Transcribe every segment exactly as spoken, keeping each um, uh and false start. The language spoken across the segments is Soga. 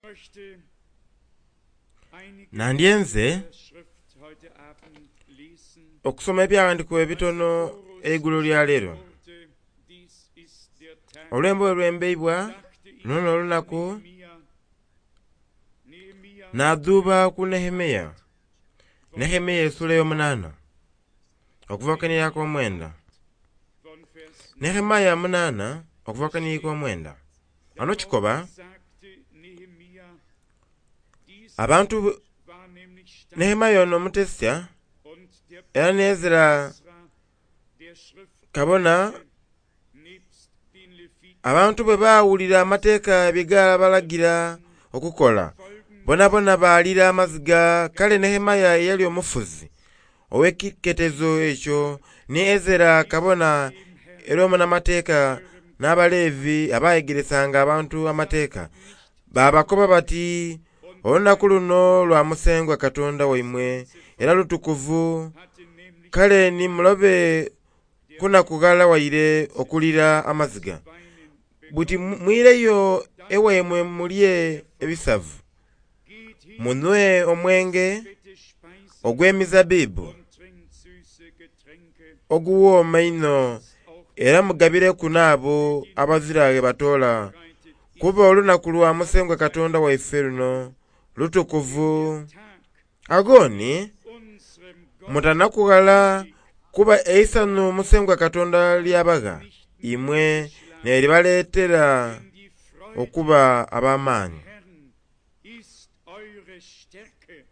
Möchte einige Nandyenze der Schrift heute Abend lesen. okusoma ebyawandiikibwa ebitono eigulo lya leero. Wurde, dies ist der Tag, Olwembo olwembeibwa dachte ich luno n'olunaku Nehemia, Nehemia nadhuuba ku Nehemiya. Nehemiya essula ey'omunaana okuva ku omwenda. von Vers Nehemiya munaana okuva ku omwenda. Wano kikoba sagte Nehemia, dies abantu war nämlich stark Nehemiya ono omutesya und der era ne Ezera Ezra, der Schrift kabona nebst den Leviten abantu bwe baawulira amateeka bye gabalagira okukola bonabona baalira amaziga. Kale Nehemiya eyali omufuzi ow'ekiketezo ekyo ni Ezera kabona era omunamateeka n'Abalevi abayegeresanga abantu amateeka baabakoba bati, olunaku luno lwa Musengwa Katonda waimwe era lutukuvu, hatte nämlich kale ni mulobe kunakughala waire okulira amaziga. weinen Buti mwireyo ewaimwe mulye ebisavu, geht hin, munhwe omwenge fette Speisen ogw'emizabbibu und trinkt süße Getränke, oguwooma einho, era mugabireku n'abo abazira ghe batoola, bereitet kuba olunaku lwa Musengwa Katonda waife luno lutukuvu. Tag Agho ni unserem Gott mutanakughala kuba eisanhu Musengwa Katonda ly'abagha imwe n'eribaleetera denn die Freude okuba ab'amaani. Herrn ist eure Stärke.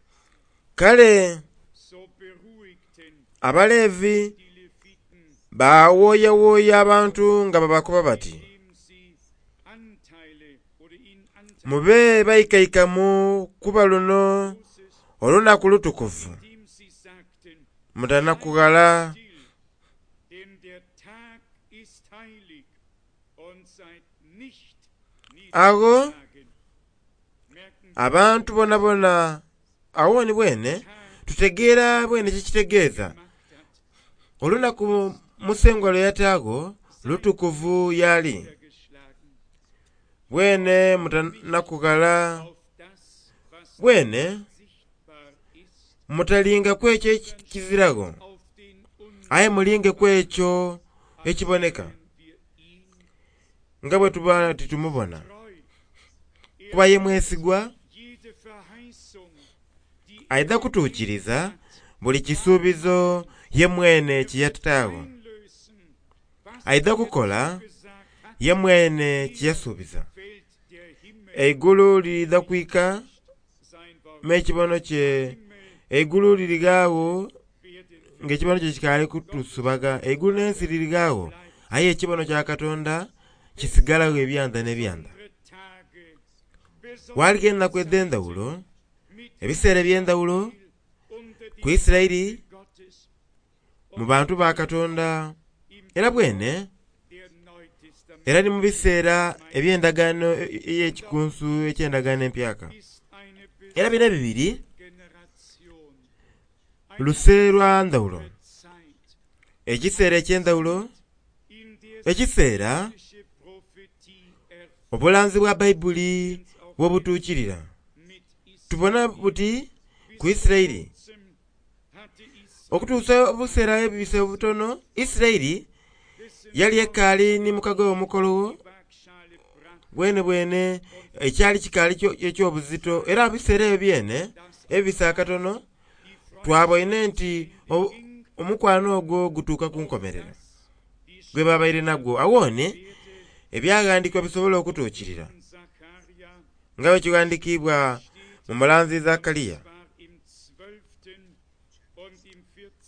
Kale So beruhigten Abalevi die Leviten, baawooyawooya abantu nga babakoba bati, indem sie Anteile oder ihnen Anteile mube baikaikamu kuba luno Moses, olunaku lutukuvu, indem sie sagten, mutanakughala. still, denn der Tag ist heilig und seid nicht Agho niedergeschlagen. Merken abantu bonabona agho ni bwene tutegeera bwene kyekitegeeza. gemacht hat, Olunaku Musengwa lwe yataagho lutukuvu y'ali. niedergeschlagen Bwene mutanakughala, auf das, was bwene sichtbar ist, mutalinga ku ekyo ekiziragho, auf den aye mulinge ku ekyo ekiboneka wir ihn nga bwe tuba titumubona. treu. Kuba ye mwesigwa Jede Verheißung, die aidha kutuukiriza buli kisuubizo ye mwene kye yataagho. einlösen, was Aidha kukola gesagt hat, ye mwene kye yasuubiza. fällt der Himmel Eigulu liriidha kwika sein Wort n'ekibono kye eigulu lirigaagho werden ng'ekibono kye kikaali kutusubaga. Eigulu n'ensi lirigaagho aye ekibono kya Katonda kisigalagho ebyanda n'ebyanda. unsere Tage besonders Waaliwo ennaku edh'endhawulo, mit ebiseera eby'endhawulo unter ku die Isiraeli Gottes mu bantu ba Katonda era bwene der Neutestament era ni mu biseera eby'endagaano ey'ekikunsu eky'endagaano empyaka. ist eine Era bino ebibiri Generation, luse lwa ndhawulo, Zeit, ekiseera eky'endhawulo, in der ekiseera sich Prophetie erfüllt obulanzi bwa Baibuli bw'obutuukirira. mit Israel. Tubona buti ku Isiraeli Kurzem hatte Israel okutuusa obuseera ebibise obutono Isiraeli yali ekaali ni mukago omukolo die Waagschale brach, bwene bwene ekyali kikaali kyo- eky'obuzito era ebiseera ebyo byene ebibise akatono twaboine nti o- omukwano ogwo gutuuka ku nkomerero gwe babaire nagwo. Awo ni ebyaghandiikibwa bisobole okutuukirira Zacharia nga bwe kighandikiibwa mu mulanzi Zakaliya war im zwölften und im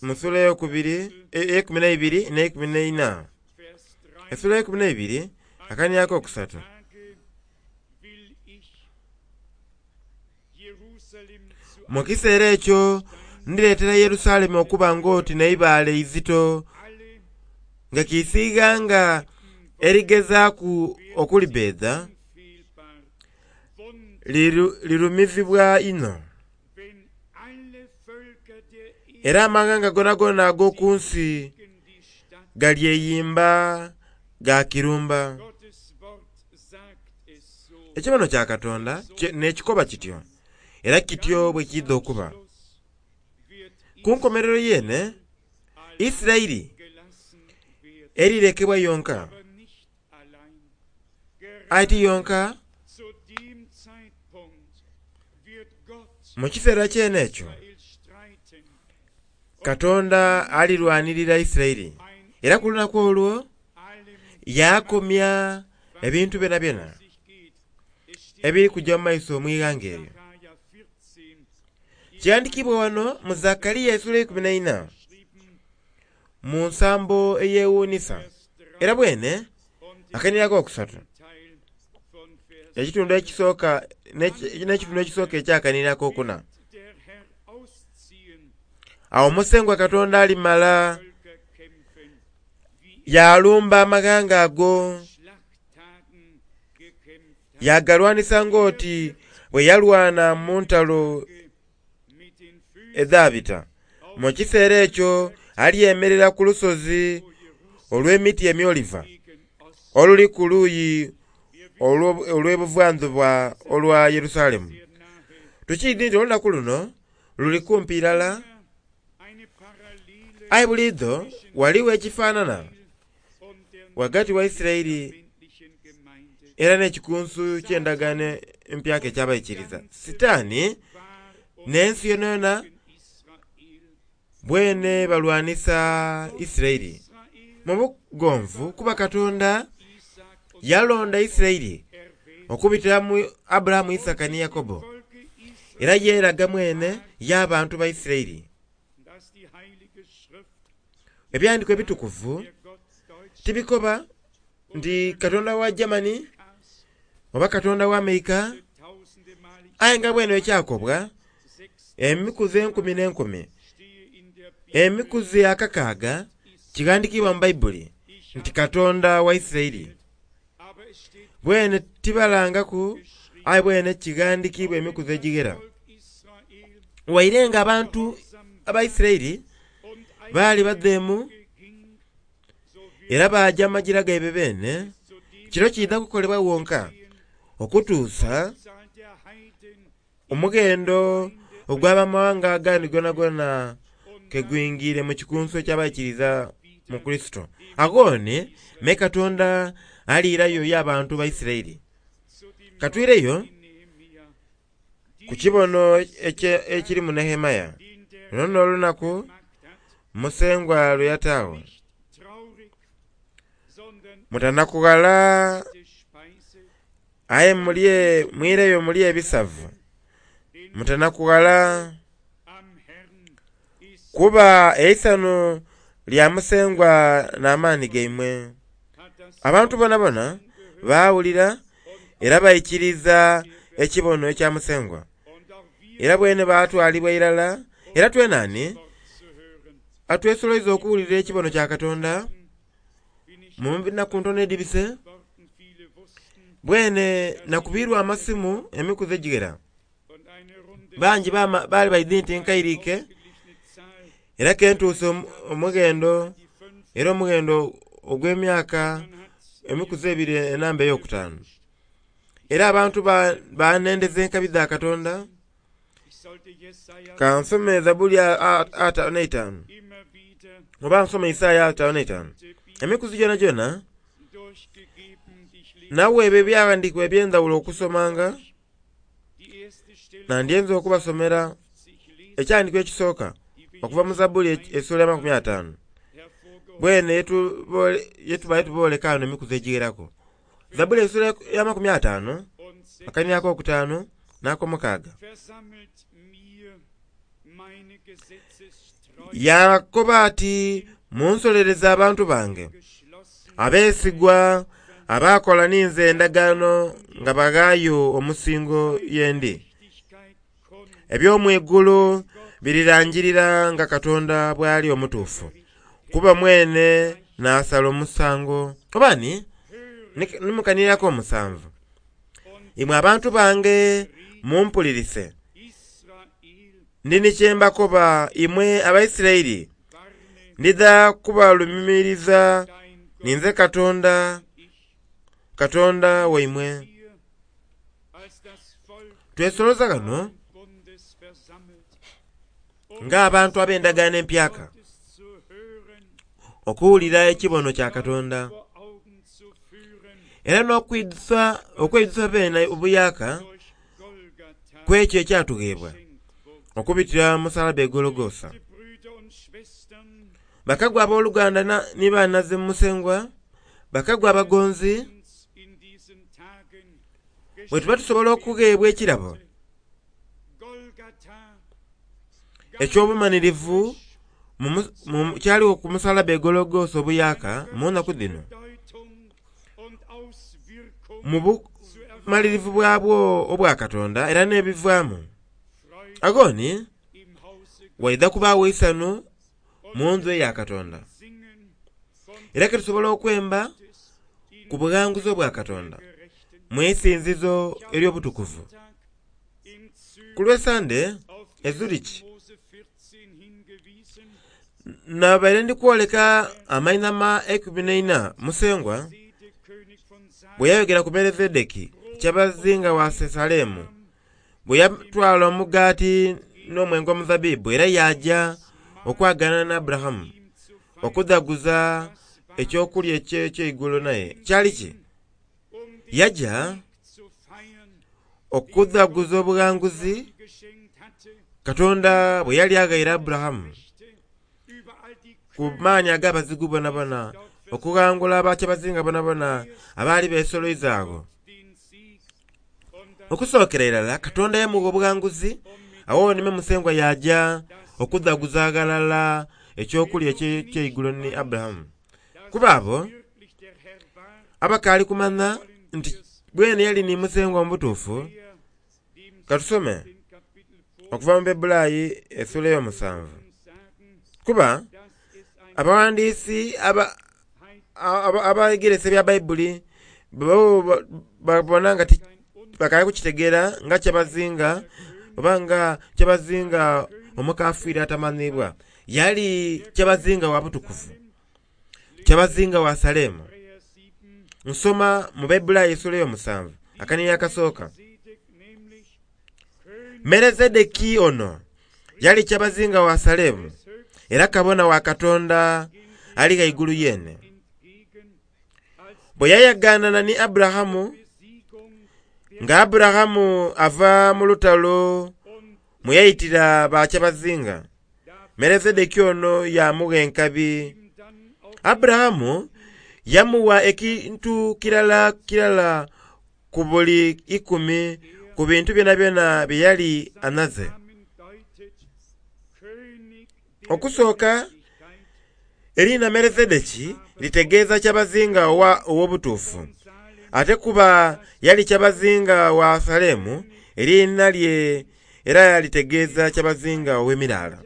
mu vierzehnten sula eyokubiri ey'eikumi n'eibiri n'eikumi n'eina. Vers drei Essula ey'eikumi n'eibiri akaniako akokusatu. Tage will ich Jerusalem zu Mu kiseera ekyo ndireetera Yerusalemu okuba ng'oti n'eibaale eizito alle nga kiisiighanga erigezaaku okulibbeedha unfehlbar Wunder, liru- lirumizibwa inho. wenn alle Völker der Erde Era amaghanga gonagona ag'oku nsi gegen die Stadt galyeyimba gakirumba. Gottes Wort sagt es so. Ekibono kya Katonda n'ekikoba kityo, era kityo bwe kiidha okuba. Ku nkomerero yeene, Isiraeli erirekebwa yonka, aye ti yonka. Mu kiseera kyene ekyo Katonda alirwanirira Isiraeli, era ku lunaku olwo yakomya ebintu byonabyona ebiri kujja mu maiso mu ighanga eryo. Kyandikibwa wano mu Zakariya esula eikumi n'eina mu nsambo eyewuunisa, era bwene akainira akokusatu ekitundu ekisooka n'ekitundu ekisooka ekyakanira akokuna. Awo Musengwa Katonda alimala yalumba amaghanga ago, yagalwanisa ng'oti bwe yalwana mu ntalo edhaabita. Mu kiseera ekyo alyemerera ku lusozi olw'emiti emyoliva oluli ku luuyi olw'ebuvanzuba olwa Yerusalemu. Tukiidhi nti olunaku luno luli kumpi irala, aye buliidho ghaligho ekifaanana ghagati wa Isiraeli era n'ekikunsu ky'endagaano empyaka eky'abaikiriza. Sitaani n'ensi yonayona bwene balwanisa Isiraeli mu bugonvu, kuba Katonda yalonda Isiraeli okubitira mu Aburahamu, Isaaka ni Yakobo, era yeeraga mwene y'abantu ba Isiraeli. Ebyandikwa ebitukuvu tibikoba nti Katonda wa Germany oba Katonda wa Amerika, aye nga bwene ekyakobwa emikuzi enkumi n'enkumi, emikuzi akakaaga kighandikibwa mu Baibuli nti Katonda wa Isiraeli. Bwene tibalangaku, aye bwene kighandikibwa emikuzi egighera. Waire nga abantu aba Isiraeli baali badheemu era baaja amagira gaibwe beene, kiro kiidha kukolebwa wonka okutuusa omughendo ogw'abamawanga agandi gonagona ke gwingiire mu kikunsu eky'abaikiriza mu Kurisito. Aghoni me Katonda aliirayo y'abantu ba Isiraeli. Katwireyo ku kibono ekiri mu Nehemaya. Luno n'olunaku Musengwa lwe yataagho. Mutanakughala aye mulye, mwireyo mulye ebisavu. Mutanakughala kuba eisanhu lya Musengwa n'amaani gaimwe. Abantu bonabona baawulira era baikiriza ekibono ekya Musengwa, era bwene baatwalibwa irala. Era twenani atwesoloiza okuwulira ekibono kya Katonda mu nnaku ntono edhibise. Bwene nakubirwa amasimu emikuzi egighera, bangi baali baidhi nti nkairike, era kentuuse omughendo era omughendo ogw'emyaka emikuzi ebiri enamba ey'okutaanu. Era abantu banendeza enkabi dha Katonda. Kansome Zabuli ataanu n'eitaanu oba nsome Isaaya ataanu n'eitaanu. Emikuzi gyonagyona naweebwa ebyawandiikibwa eby'endhawulo okusomanga, nandyenze okubasomera ekyandiikibwa ekisooka okuva mu Zabuli esula amakumi ataanu. Bwene yetubaire tubooleka ghano emikuzi egigheraku. Zabuli esula y'amakumi ataanu, akainira ak'okutaanu n'akomukaaga. Yakoba ati, munsolereze abantu bange abeesigwa abaakola ninze endagaano nga baghaayo omusingo ye ndi. Eby'omwigulu birirangirira nga Katonda bw'ali omutuufu, kuba mwene n'asala omusango. Oba ni nimukaniraku omusanvu, imwe abantu bange mumpulirise, ndi ni kye mbakoba imwe Abaisiraeli, ndidha Twesoloza ghano ng'abantu ab'endagaano empyaka okuwulira ekibono kya Katonda era n'okwidhusa okweidhusa beene obuyaka ku ekyo ekyatugheebwa okubitira mu musalaba e Gologosa. Bakagwa abooluganda ni banhaze mu Musengwa, bakagwa abagonzi, bwe tuba tusobola okugheebwa ekirabo eky'obumanhirivu kyaligho ku musalaba e Gologosa obuyaka mu nnaku dhino, mu bumalirivu bwabwo obwa Katonda era n'ebivaamu, aghoni waidha kubaagho eisanhu mu ndhu eya Katonda. Era ke tusobola okwemba ku bughanguzi obwa Katonda mu isinzizo ery'obutukuvu. Ku lw'Esande e Zurich nabaire ndi kwoleka amainhama eikumi n'eina Musengwa bwe yayogera ku Melezedeki kyabazinga wa Salemu, bwe yatwala omugaati n'omwenge omuzabbibu era yaja okwagaana Aburahamu okudhaguza ekyokulya eky'eigulo naye. Kyali ki? Yaja okudhaguza obughanguzi Katonda bwe yali aghaire Aburahamu ku maani ag'abazigu bonabona, okughangula bakyabazinga bonabona abaali besoloiza agho. Okusookera irala Katonda yamugha obughanguzi, agho ni Musengwa yaja okudhaguza aghalala ekyokulya eky'eigulo ni Aburahamu. Kuba abo abakaali kumanha nti bwene yali ni Musengwa mu butuufu, katusome okuva mu Bebulaayi esula ey'omusanvu. Kuba abaghandiisi abegeresa ebya Baibuli bo babona nga bakaali kukitegeera nga kyabazinga oba nga kyabazinga omukafiiri atamanhiibwa. Yali kyabazinga wa butukuvu, kyabazinga wa Salemu. Nsoma mu Bebulaayi esula ey'omusanvu akanhiriri akasooka. Melezedeki ono yali kyabazinga wa Salemu era kabona wa Katonda ali ghaigulu yeene. Bwe yayagaanana ni Aburahamu, nga Aburahamu ava mu lutalo mwe yaitira bakyabazinga, Melezedeki ono yamugha enkabi. Aburahamu yamugha ekintu kirala kirala ku buli ikumi ku bintu byonabyona bye yali anhaze. Okusooka eriina Melezedeki litegeeza kyabazinga ow'obutuufu, ate kuba yali kyabazinga wa Salemu, eriina lye era litegeeza kyabazinga ow'emiraala.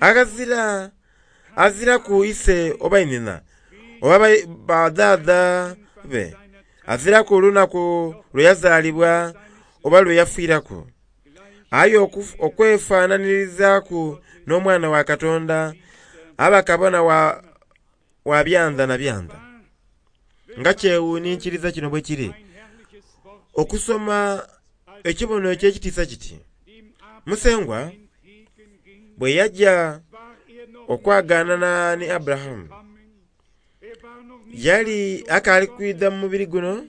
Aghazira aziraku ise oba inhina oba badhaadha be, aziraku lunaku lwe yazaalibwa oba lwe yafiiraku. Aye okwefaananirizaaku n'Omwana wa Katonda, aba kabona wa, wa byanda na byanda. Nga kyewuninkiriza kino bwe kiri okusoma ekibono eky'ekitiisa kiti. Musengwa bwe yaja okwagaanana ni Aburahamu, yali akaali kwidha mu mubiri guno,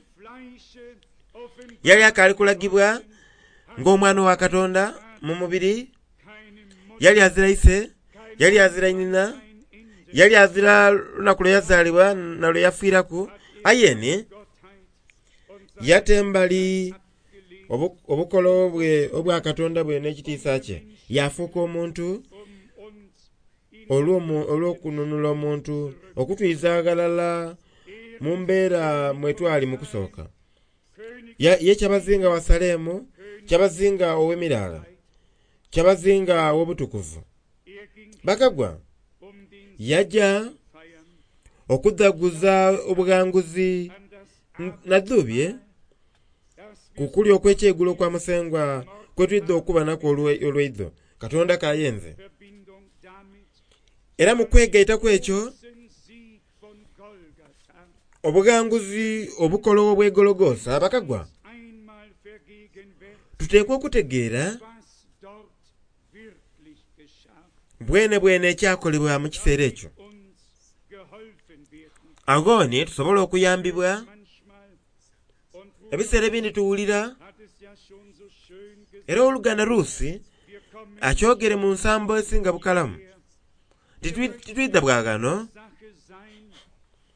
yali akaali kulagibwa ng'omwana wa Katonda mu mubiri, yali azira ise, yali azira inhina, yali azira lunaku lwe yazaalibwa na lwe yafiiraku, aye ni yata embali obukolo bwe obwa Katonda bwe n'ekitiisa kye, yafuuka omuntu olw'okununula omuntu okutwiza aghalala mu mbeera mwe twali mu kusooka. Ye kyabazinga wa Salemu, kyabazinga ow'emiraala, kyabazinga ow'obutukuvu. Bakagwa yaja okudhaguza obughanguzi nadhubye ku kulya okw'ekyeigulo kwa Musengwa kwe twidha okuba nakwo olweidho. Katonda kayenze. Era mu kwegaita kw'ekyo, obughanguzi obukolowo bw'e Gologosa bakagwa Tuteekwa okutegeera was dort wirklich geschah, bwene bwene ekyakolebwa mu kiseera ekyo. Uns geholfen werden. Agho ni tusobola okuyambibwa. Manchmal und Bruder Ebiseera ebindi tuwulira hat es ja schon so schön gesagt, era oluganda Ruusi wir kommen akyogere mu nsambo esinga bukalamu. Titwi- Titwidha bwa ghano Sache sein,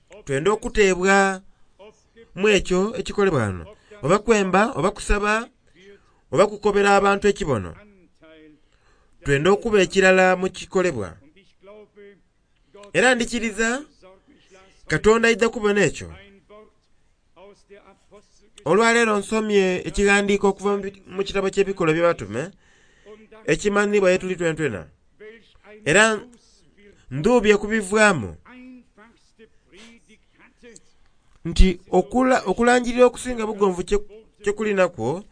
ob twenda okuteebwa ob mu ekyo ekikolebwa ghano, oba kwemba oba kusaba wird oba kukobera abantu ekibono. Anteil. Twenda okuba ekirala mu kikolebwa. Und ich glaube, Gott Era ndikiriza sorgt mich las Katonda aidha kubona ekyo. ein Wort aus der Apostelgeschichte Olwaleero nsomye ekighandiiko okuva mu bi- mu kitabo ky'Ebikolwa Eby'Abatume und dann ekimanhibwa ye tuli twentwena. welch eine Era Auswirkung ndhuubye kubivaamu einfachste Predigt hatte, nti okula- okulangirira okusinga bugonvu kye- kye kulinakwo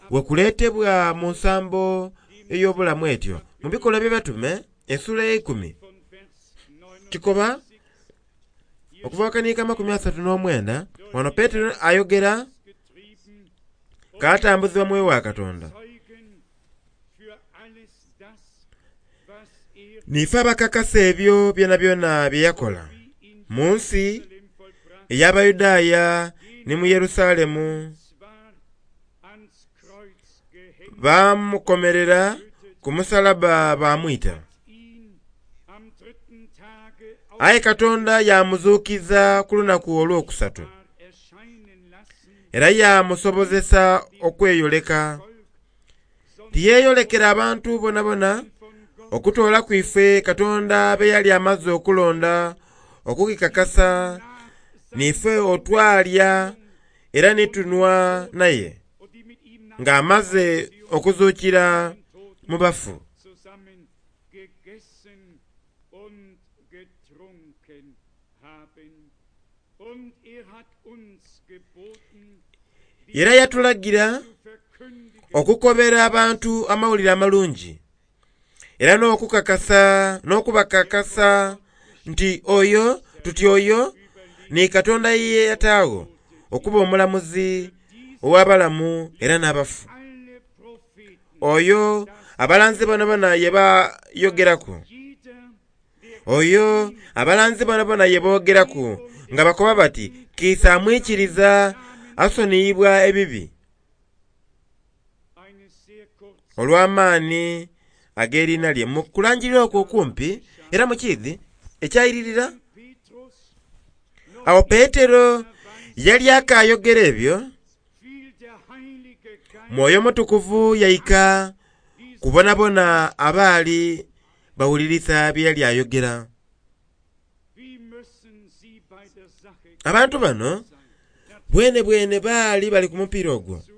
wekuleetebwa mu nsambo ey'obulamu etyo. Mu Bikolwa Eby'Abatume ensula ey'eikumi von Vers kikoba neunundzwanzig okuva wakaniika amakumi asatu n'omwenda wano Peetero ayogera getrieben k'atambuzibwa mwoyo wa Katonda. Zeugen für alles das, was er Niife abakakasa ebyo byonabyona bye yakola wie in mu nsi Jerusalem vollbracht, ey'Abayudaaya ni mu Yerusalemu. zwar ans Kreuz gehängt, Baamukomerera ku musalaba baamwita. ihn am dritten Tage Aye Katonda yamuzuukiza ku lunaku olwokusatu war erscheinen lassen, era yamusobozesa okweyoleka. Volk, sondern Tiyeeyolekera abantu bonabona von Gott okutoola ku ife Katonda be yali amaze okulonda okukikakasa niife otwalya era ni tunhwa naye und die mit ihm nach ng'amaze okuzuukira mu bafu. zusammen gegessen und getrunken haben. Und er hat uns geboten, die Era yatulagira zu verkündigen, okukobera abantu amawulire amalungi era n'okukakasa n'okubakakasa nti oyo tuti oyo ni Katonda ye yataagho okuba omulamuzi ow'abalamu era n'abafu. alle Propheten, Oyo abalanzi bonabona ye bayogeraku, jeder, der oyo abalanzi bonabona ye boogeraku nga bakoba bati kiisa amwikiriza asoniyibwa ebibi eine sehr kurze olw'amaani ag'eriina lye. Mu kulangirira okwo okumpi era mu kiidhi ekyayiririra, Petrus awo Peetero yali akaayogera ebyo, fiel der Heilige Geist Mwoyo Mutukuvu yaika kubonabona abaali bawulirisa bye yali ayogera. Wie müssen sie bei der Sache Abantu bano sein? bwene bwene baali bali ku mupiira ogwo. Dazu,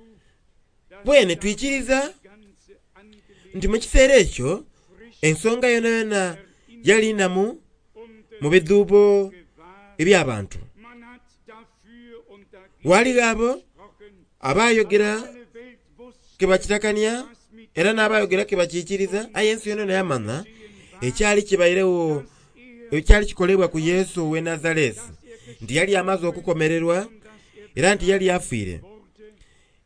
dass Bwene twikiriza die ganze Angelegenheit nti mu kiseera ekyo frisch ensonga yonayona yali namu und mu bidhuubo gewahr. eby'abantu. Man hat dafür und dagegen Waligho abo gesprochen. abaayogera Alle Welt wusste, ke bakitakania was mit era n'abayogera ke bakiikiriza, aye ensi yonayona yamanya ekyali kibairewo er, ekyali kikolebwa ku Yesu ow'e Nazaleesi nti yali amaze okukomererwa dass er era nti yali afiire wurde,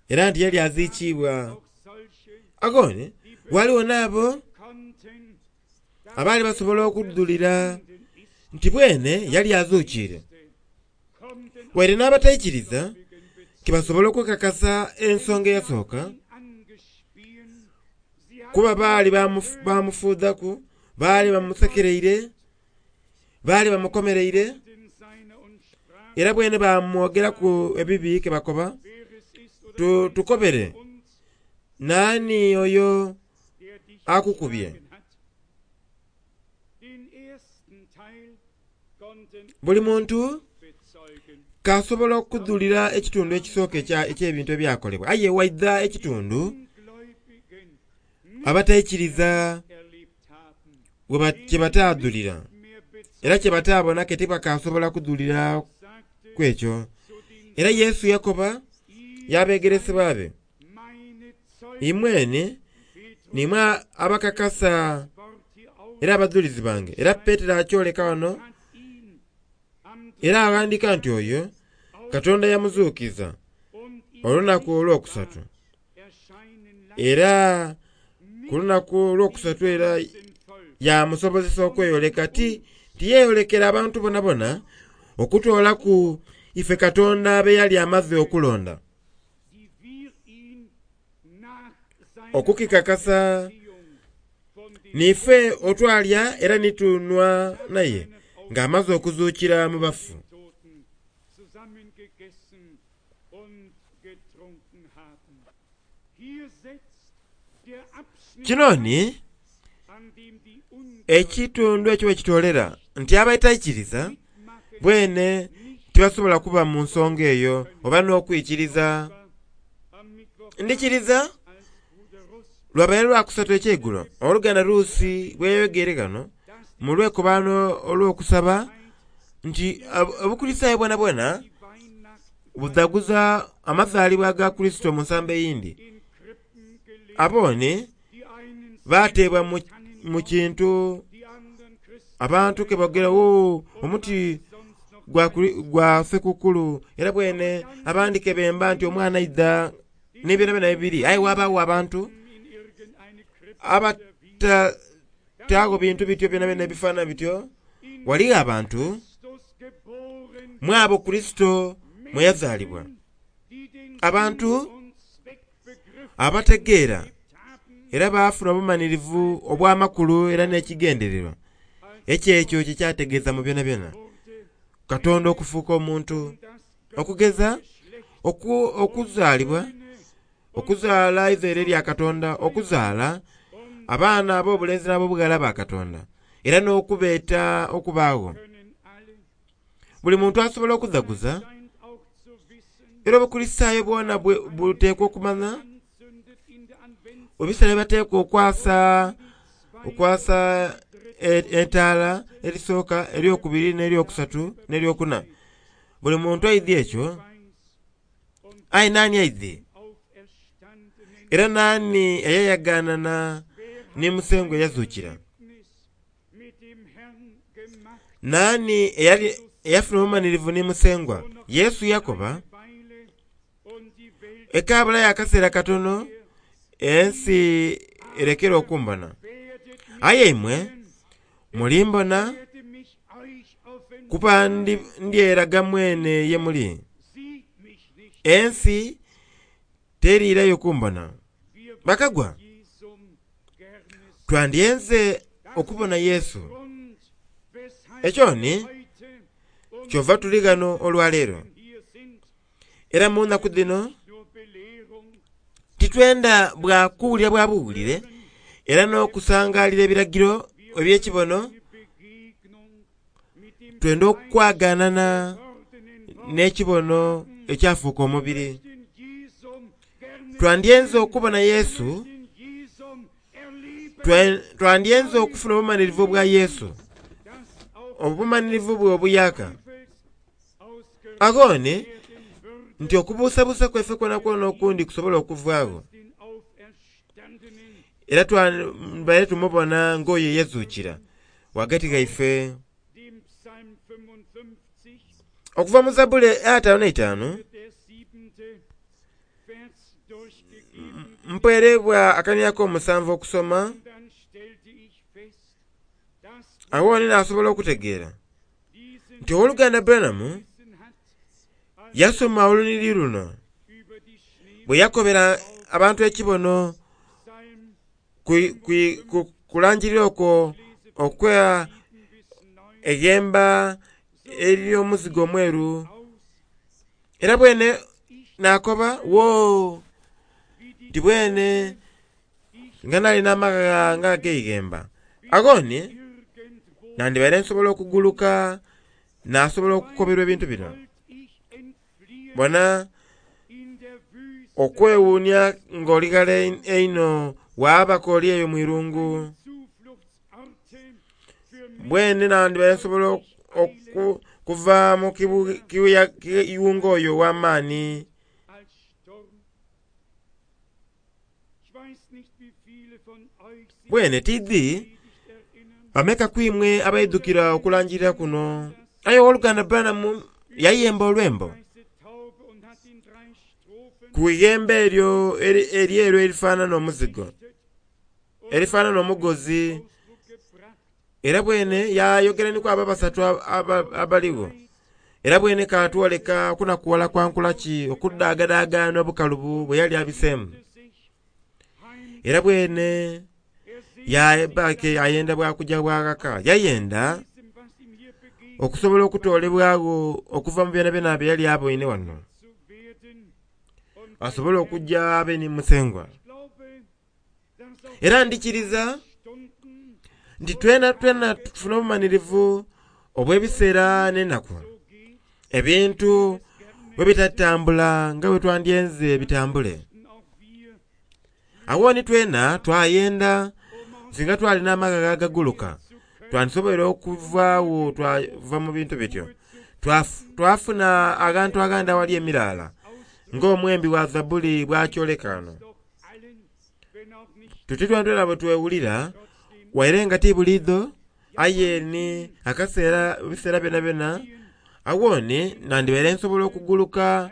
era nti yali aziikiibwa. auch solche Agone waliwo n'abo konnten, dass abaali basobola okuddulira ist, nti bwene yali azuukiire. kommt denn Waire n'abataikiriza Gläubigen ke basobola okwekakasa ensonga eyasooka ihn angespien. Sie kuba hatten baali bamufu- bamufuudhaku, baali bamusekereire, baali bamukomereire den seiner und sprachen, era bwene bamwogeraku ebibi ke bakoba wer es ist oder tu, tukobere uns, naani oyo der dich akukubye. geschlagen hat. Den ersten Teil konnten Buli muntu bezeugen. kasobola okudhulira ekitundu ekisooka ekya- eky'ebintu ebyakolebwa aye waidha ekitundu Ungläubigen abataikiriza erlebt haben. we ba- kye bataadhulira Mehr bezeugen era kye bataabona ke tibakasobola kudhulira sagte ku ekyo. zu den Era Yesu yakoba ihr y'abeegeresebwa be meine Zeugen imwene Petrus nimwe abakakasa Wort hier auf era abadhulizi bange. Era Peetero akyoleka wano hat ihn am era aghandika nti oyo Katonda yamuzuukiza und ihn olunaku olwokusatu erscheinen Era ku lunaku olwokusatu era yamusobozesa okweyoleka ti tiyeyolekera abantu bonabona okutoolaku ife Katonda be yali amaze okulonda. Okukikakasa niife otwalya era nitunhwa naye ng'amaze okuzuukira mu bafu. Kino ni ekitundu ekyo wekitolera nti abataikiriza bwene tibasobola kuba mu nsonga eyo oba n'okwikiriza. Ndikiriza lwabaire lwakusatu ekyeigulo oluganda Ruusi bweyayogere ghano mu lwekobaano olw'okusaba nti Obukulisitaayo bwonabwona budhaguza amazaalibwa ga Kurisito mu nsambo eyindi. Abooni bateebwa mu kintu abantu ke boogera wo omuti gwa ssekukulu era bwene abandi ke bemba nti omwana aidha n'ebyonabyona bibiri aye ghabagho abantu abatataagho bintu bityo byonabyona ebifaanana bityo. Ghaligho abantu mu abo Kurisito mwe yazaalibwa, abantu abategeera era baafuna obumanhirivu obw'amakulu era n'ekigendererwa eky'ekyo kyekyategeeza mu byonabyona Katonda okufuuka omuntu, okugeza okuzaalibwa, okuzaala eizaire lya Katonda, okuzaala abaana ab'obulenzi n'ab'obughala ba Katonda, era n'okubeeta okubaagho. Buli muntu asobola okudhaguza, era Obukulisitaayo bwona buteekwa okumanya ebiseera byebateekwa okwasa okwasa entaala erisooka, eryokubiri, n'eryokusatu, n'eryokuna. Buli muntu aidhi ekyo, aye naani aidhi? Era naani eyayaganana ni Musengwa eyazuukira? Naani eyafuna obumanhirivu ni Musengwa? Yesu yakoba, ekaabulayo akaseera katono ensi erekere okumbona, aye imwe mulimbona kuba ndyeraga mwene ye muli. Ensi teriirayo kumbona. Bakagwa, twandyenze okubona Yesu. Ekyo ni kyova tuli ghano olwaleero. Era mu nnaku dhino titwenda bwa kuwulira bwa buwulire era n'okusangalira ebiragiro eby'ekibono, twenda okwaganana n'ekibono ekyafuuka omubiri. Twandyenze okubona Yesu, twandyenze okufuna obumanhirivu bwa Yesu, obumanhirivu bwe obuyaka. Agho ni nti okubuusabuusa kwaife kwonakwona okundi kusobola okuvaagho, era twabaire tumubona ng'oyo eyazuukira ghagati ghaife. Okuva mu Zabbuli ataanu n'eitaanu mpeereibwa akania ak'omusanvu okusoma, agho ni naasobola okutegeera nti ow'oluganda Branham yasoma olunhiriri luno bwe yakobera abantu ekibono kulangirira okwo okwa eghemba ery'omuzigo omweru. Era bwene nakoba wo nti bwene nga nali n'amaghagha nga ag'eighemba. Agho ni nandibaire nsobola okuguluka nasobola okukoberwa ebintu bino. Bona okwewuunia ng'oli ghala einho waabaka oli eyo mu irungu. Bwene nandibaire nsobola okuva mu kiyungu oyo ow'amaani. Bwene tidhi bameka ku imwe abaidhukira okulangirira kuno. Aye ow'oluganda Branham yayemba olwembo Ku ighembe eryo eryeru erifanana omuzigo, erifanana omugozi. Era bwene yayogera ni kwabo abasatu abaligho. Era bwene katwoleka okunakuwala kwa nkula ki, okudaagadaaga n'obukalubu bwe yali abiseemu. Era bwene yaba ayenda bwa kugya bwa ghaka, yayenda okusobola okutoolebwagho okuva mu byonabyona bye yali aboine ghano, asobole okugya abe ni Musengwa. Era ndhikiriza nti twena twena tufuna obumanhirivu obw'ebiseera n'enaku, ebintu bwe bitatambula nga bwe twandyenze bitambule. Agho ni twena twayenda singa twali n'amaghagha agaguluka, twandisoboire okuvaagho twava mu bintu bityo, twafuna aghantu aghandi aghali emiraala ng'omwembi wa Zabbuli bw'akyoleka ghano. Tuti twena bwe twewulira waire nga ti buliidho aye ni akaseera ebiseera byonabyona agho ni nandibaire nsobola okuguluka,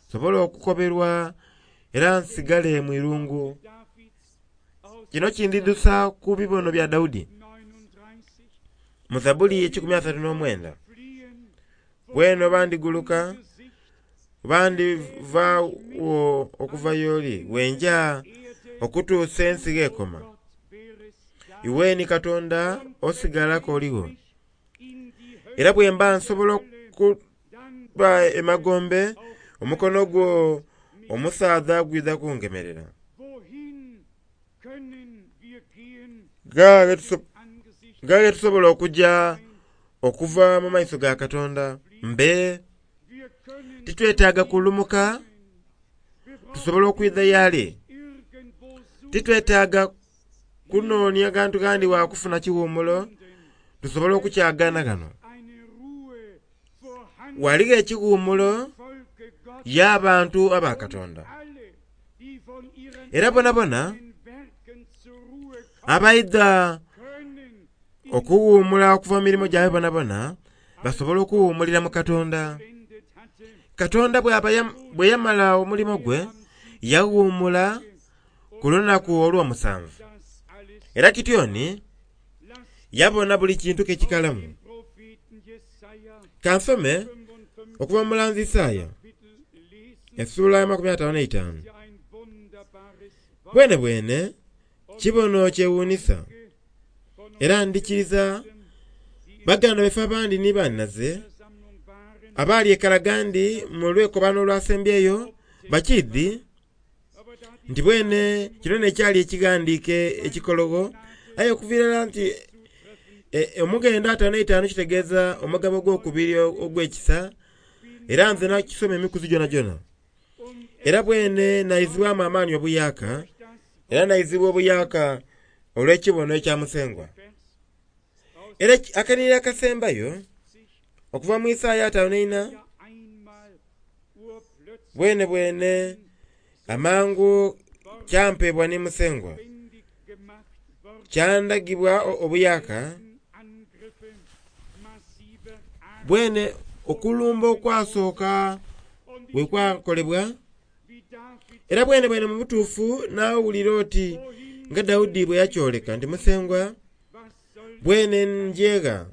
nsobola okukoberwa era nsigale mu irungu. Kino kindidhusa ku bibono bya Daudi mu Zabbuli ekikumi asatu n'omwenda. Bwene oba ndiguluka oba ndivaagho okuva y'oli, bwenja okutuusa ensi gh'ekoma. Iwe ni Katonda osigala k'oligho. Era bwe mba nsobola okuba emagombe, omukono gwo omusaadha gwidha kungemerera. Nga ghe tusobola okugya okuva mu maiso ga Katonda, mbe titwetaaga kulumuka tusobola okwidha y'ali. Titwetaaga kunoonia ghantu ghandi wa kufuna kiwumulo, tusobola okukyagana ghano. Ghaligho ekiwumulo y'abantu aba Katonda. Era bonabona abaidha okuwuumula okuva mu mirimo gyabwe bonabona basobola okuwuumulira mu Katonda. Katonda bwe yamala omulimo gwe yawuumula ku lunaku olw'omusanvu. Era kityoni yabona buli kintu kekikalamu. Kansome okuva mu mulanzi Isaaya essuula amakumi ataanu n'eitaanu. Bwene bwene kibono kyewuunhisa era ndhikiriza baganda baife abandi ni bannaze abaali e Kalagandi mu lwekobano olwasembyeyo bakiidhi nti bwene kino n'ekyali ekighandiike ekikologho, aye okuva irala nti omughendo ataanu n'eitaanu kitegeeza omugabo ogwokubiri ogw'ekisa, era nze nakisoma emikuzi gyonagyona. Era bwene naizibwamu amaani obuyaaka, era naizibwa obuyaaka olw'ekibono ekya Musengwa. Era akanhiriro akasembayo okuva mu Isaaya ataanu n'eina, bwene bwene amangu kyampeebwa ni Musengwa, kyandagibwa obuyaaka. Bwene okulumba okwasooka bwe kwakolebwa, era bwene bwene mu butuufu naawulira oti nga Daudi bwe yakyoleka nti Musengwa bwene ngyegha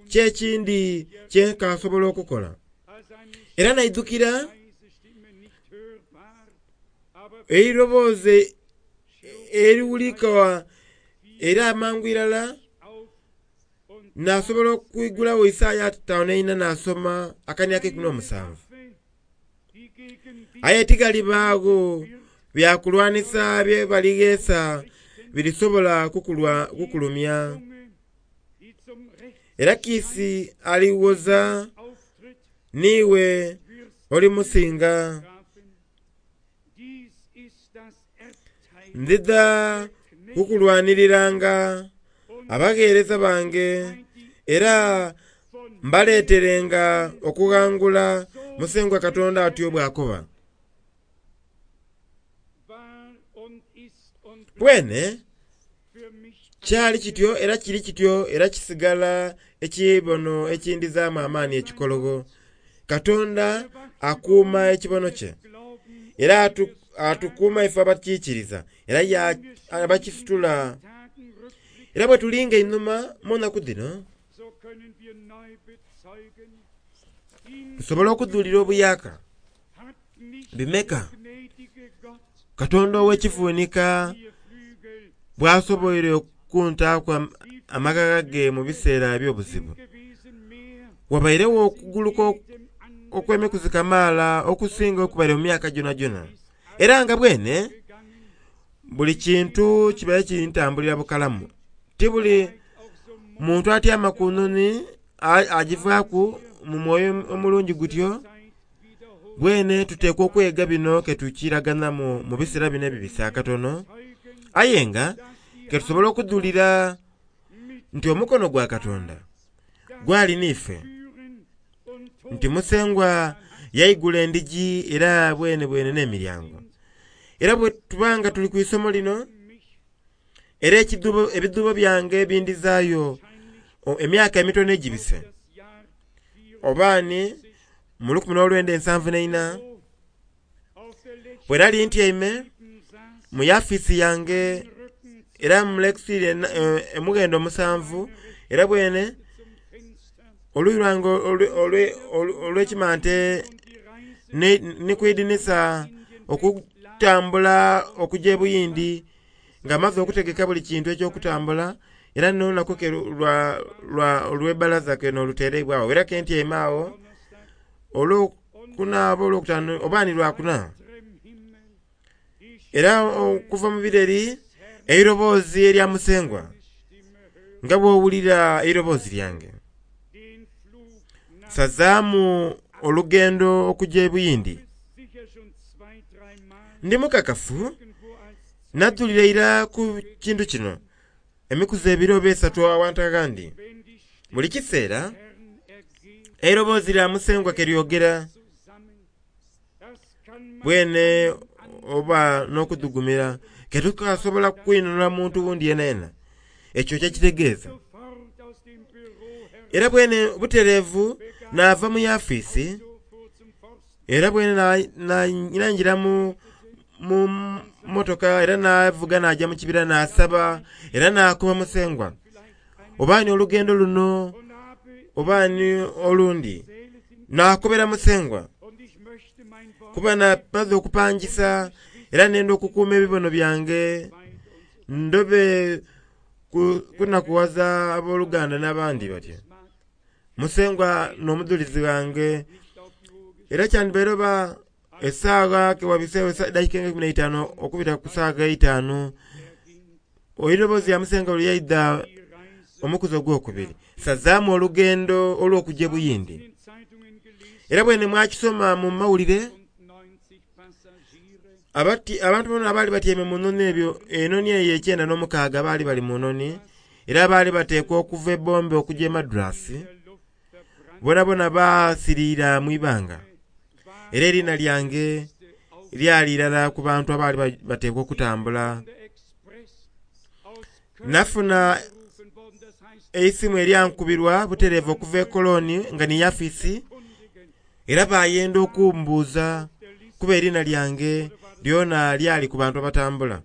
ki ekindi kye nkasobola okukola. Era naidhukira eiroboozi eriwulika era amangu irala nasobola okwigulagho Isaaya ataanu n'eina nasoma akania ak'eikumi n'omusanvu. Aye tighalibaagho bya kulwanisa bye baligheesa birisobola kukulumya. Era kiisi aliwoza niiwe olimusinga. Ndidha kukulwanhiriranga abagheereza bange era mbaleeterenga okughangula Musengwa Katonda atyo bw'akoba. Bwene kyali kityo era kiri kityo era kisigala ekibono ekindhizaamu amaani ekikologho. Katonda akuuma ekibono kye. Era atukuuma ife abakiikiriza era abakisitula. Era bwe tulinga einhuma mu nnaku dhino, tusobola okudhulira obuyaka bimeka Katonda ow'ekivunika bw'asoboire okuntaaku amaghagha ge mu biseera eby'obuzibu. Wabairegho okuguluka okw'emikuzi kamaala okusinga okubaire mu myaka gyonagyona. Era nga bwene buli kintu kibaire kintambulira bukalamu. Ti buli muntu atyama ku noni agivaaku mu mwoyo omulungi gutyo. Bwene tuteekwa okwega bino ketukiraganamu mu biseera bino ebibisi akatono. Aye nga ketusobola okudhulira nti omukono gwa Katonda gwali n'ife, nti Musengwa yaigula endhigi era bwene bwene n'emiryango. Era bwe tubanga tuli ku isomo lino, era ebidhuubo byange bindhizaayo emyaka emitono egibise, obaani mu lukumi n'olwenda ensanvu n'eina, bwe nali ntyaime mu yafiisi yange era mu lekisitiri emughendo musanvu, era bwene oluyi lwange olw'ekimante ni ku idinisa okutambula okugya e Buyindi nga maze okutegeka buli kintu eky'okutambula, era n'olunaku ke olw'ebbalaza ke n'olutereibwa agho, era ke ntyaime agho olwokuna oba olwokutaanu oba ni lwakuna. Era okuva mu bireri eiroboozi erya Musengwa nga bw'owulira eiroboozi lyange, sazaamu olugendo okugya e Buyindi. Ndi mukakafu nadhulira ira ku kintu kino emikuzi ebiri oba esatu awantu aghandi. Buli kiseera eiroboozi lya Musengwa ke lyogera bwene oba n'okudhugumira ketukasobola kwinhonhola muntu wundi yenayena ekyo kyekitegeeza. Era bwene butereevu naava mu yafiisi, era bwene naingira mu motoka era navuga naja mu kibira nasaba era nakuba Musengwa obaani olugendo luno obaani olundi, nakobera Musengwa kuba namaze okupangisa era nenda okukuuma ebibono byange ndobe kunakuwaza abooluganda n'abandi batyo. Musengwa n'omudhulizi wange, era kyandibaire oba esaawa kewabiseewo eddakiika nga ikumi n'eitaanu okubita ku saawa eitaanu, eiroboozi lya Musengwa lwe lyaidha omukuzi ogwokubiri, sazaamu olugendo olw'okugya e Buyindi. Era bwene mwakisoma mu mawulire, abantu bona abaali batyaime mu noni ebyo, enoni eyo ekyenda n'omukaaga baali bali mu noni, era baali bateekwa okuva e Bombe okugya e Madras, bonabona baasiriira mu ibanga. Era eriina lyange lyali irala ku bantu abaali bateekwa okutambula. Nafuna eisimu eryankubirwa butereevu okuva e Koloni nga ni yafiisi, era bayenda okumbuuza kuba eriina lyange lyona lyali ku bantu abatambula.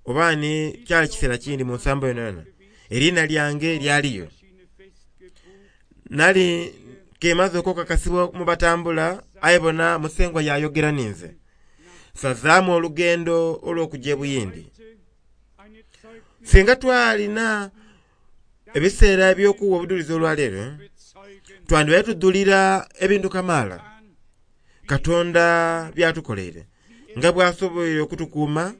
Oba ni kyali kiseera kindi mu nsambo yonayona, eriina lyange lyaliyo. Nali kemaze okukakasibwa mu batambula, aye bona Musengwa yayogera ninze. Sazaamu olugendo olw'okugya e Buyindi. Singa twalina ebiseera eby'okuwa obudulizi olwaleero, twandibaire tudhulira ebintu kamaala Katonda byatukoleire, nga bw'asoboire okutukuuma,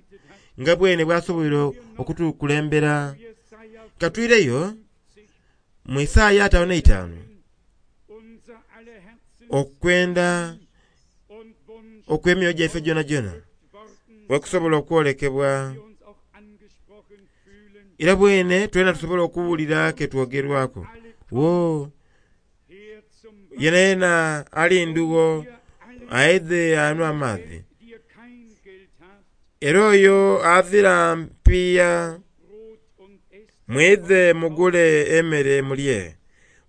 nga bwene bw'asoboire okutukulembera. Katwireyo mu Isaaya ataano n'eitaanu okwenda okw'emyoyo gyaife gyonagyona wekusobola okwolekebwa, era bwene twena tusobola okuwulira ketwogerwaku. Wo yenayena ali ndugho aidhe anhwe amaadhi, era oyo azira mpiiya mwidhe mugule emere mulye,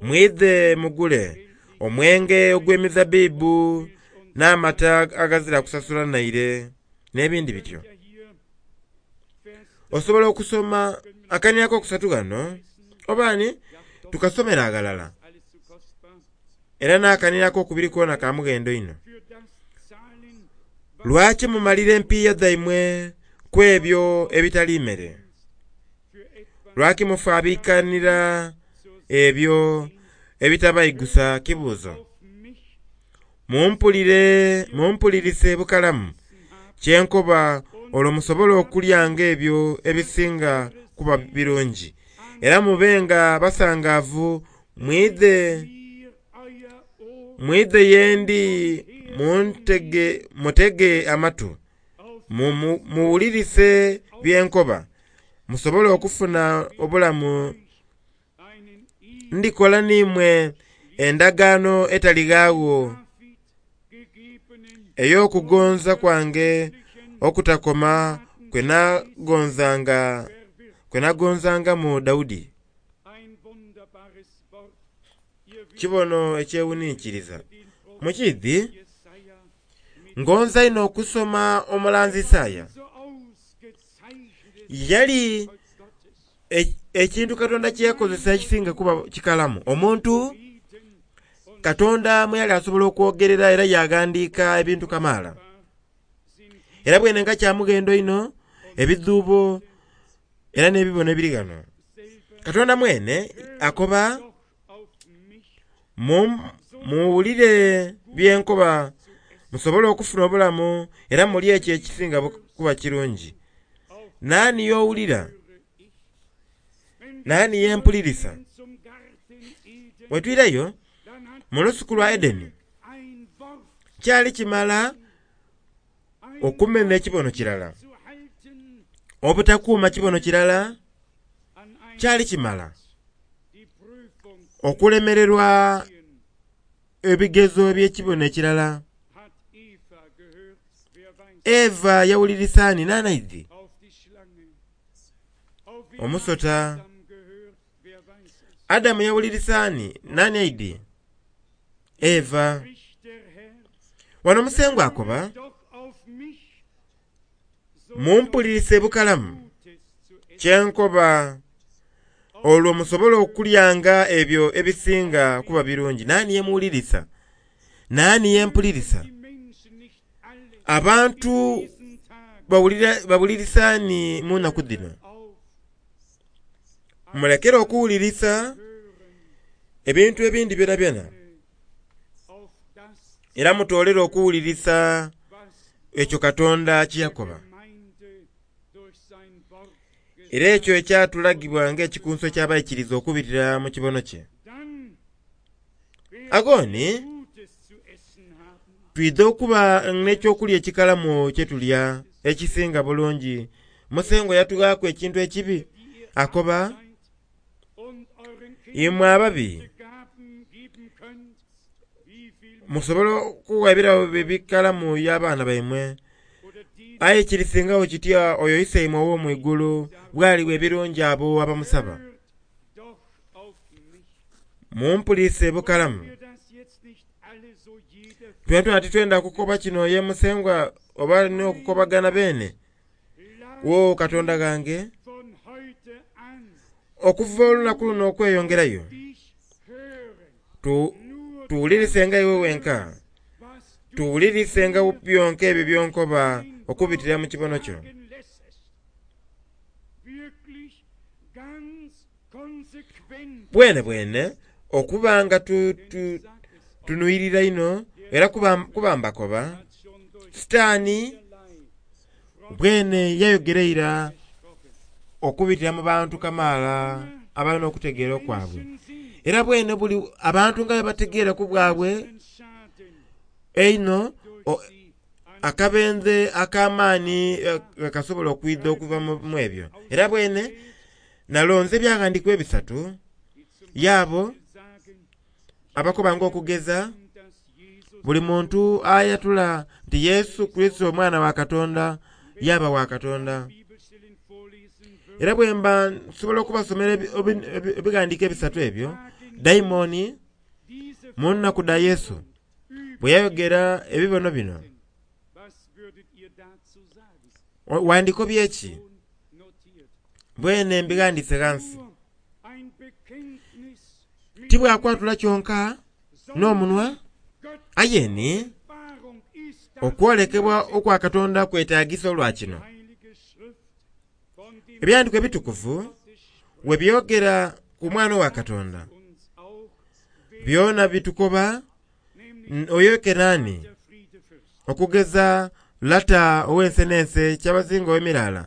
mwidhe mugule omwenge ogw'emizabbibu N'amata agazira kusasula naire n'ebindi bityo. Osobola okusoma akanira akokusatu ghano oba ni tukasomera aghalala. Era n'akanira akokubiri kona ka mughendo inho. Lwaki mumalira empiiya dhaimwe ku ebyo ebitali mmere? Lwaki mufaabikanira ebyo ebitabaigusa kibuuzo? Mumpulire, mumpulirise bukalamu kyenkoba olwo musobole okulyanga ebyo ebisinga kuba birungi. Era mubenga basangaavu mwidhe mwidhe yendi muntege mutege amatu muwulirise byenkoba musobole okufuna obulamu. Ndikola n'imwe endagaano etalighagho ey'okugonza kwange okutakoma kwe nagonzanga kwe nagonzangamu Daudi. Kibono ekyewuninkiriza. Mukiidhi ngonza inho okusoma omulanzi Isaaya. Yali ekintu Katonda kye yakozesa ekisinga kuba kikalamu. Omuntu Katonda mwe yali asobola okwogerera era yaghandiika ebintu kamaala. Era bwene nga kya mughendo inho ebidhuubo era n'ebibono ebiri ghano. Katonda mwene akoba muwulire byenkoba musobole okufuna obulamu era mulye ekyo ekisinga kuba kirungi. Naani y'owulira? Naani yempulirisa? Bwe twirayo mu lusuku lwa Edeni, kyali kimala okumena ekibono kirala, obutakuuma kibono kirala kyali kimala okulemererwa ebigezo eby'ekibono ekirala. Eva yawulirisa ani nanaidhi? Omusota. Adamu yawulirisa ani nani aidhi? Eva. Wano Musengwa akoba mumpulirise bukalamu kyenkoba olwo musobole okulyanga ebyo ebisinga kuba birungi. Naani yemuwulirisa? Naani yempulirisa? Abantu bawulirisa ni mu naku dhino? Mulekere okuwulirisa ebintu ebindi byonabyona, era mutoolere okuwulirisa ekyo Katonda kye yakoba. Era ekyo ekyatulagibwa ng'ekikunso eky'abaikiriza okubitira mu kibono kye. Agoni twidha okuba n'ekyokulya ekikalamu kye tulya ekisinga bulungi. Musengwa yatughaaku ekintu ekibi akoba imwe ababi musobola okuwa ebirabo ebikalamu y'abaana baimwe, aye kirisingagho kitya oyo Iseimwe ow'omwigulu bw'aliwa ebirungi abo abamusaba. Mumpulirise bukalamu. Twena titwenda kukoba kino ye Musengwa oba n'okukobagana beene. Wo Katonda ghange, okuva olunaku luno okweyongerayo tuwulirisenga iwe wenka, tuwulirisenga byonka ebyo byonkoba okubitira mu kibono kyo. Bwene bwene okuba nga tunuyirira inho era kuba mbakoba Sitaani bwene yayogera ira okubitira mu bantu kamaala abalina okutegeera okwabwe. Era bwene buli abantu nga bategeera ku bwabwe einho akabenze ak'amaani kasobola okwidha okuva mu ebyo. Era bwene nalonze ebyaghandiikibwa ebisatu yaabo abakobanga okugeza buli muntu ayatula nti Yesu Kurisito omwana wa Katonda yaba wa Katonda. Era bwemba nsobola okubasomera ebighandiiko ebisatu ebyo, daimoni mu nnaku dha Yesu bwe yayogera ebibono bino wandiko byeki bwene mbighandiise ghansi tibwakwatula kyonka n'omunwa aye ni okwolekebwa okwa Katonda kwetagisa olwa kino ebyandiiko ebitukuvu we byogera ku mwana wa Katonda byona bitukoba oyo Kenani okugeza lata ow'ense n'ense kyabazinga ow'emirala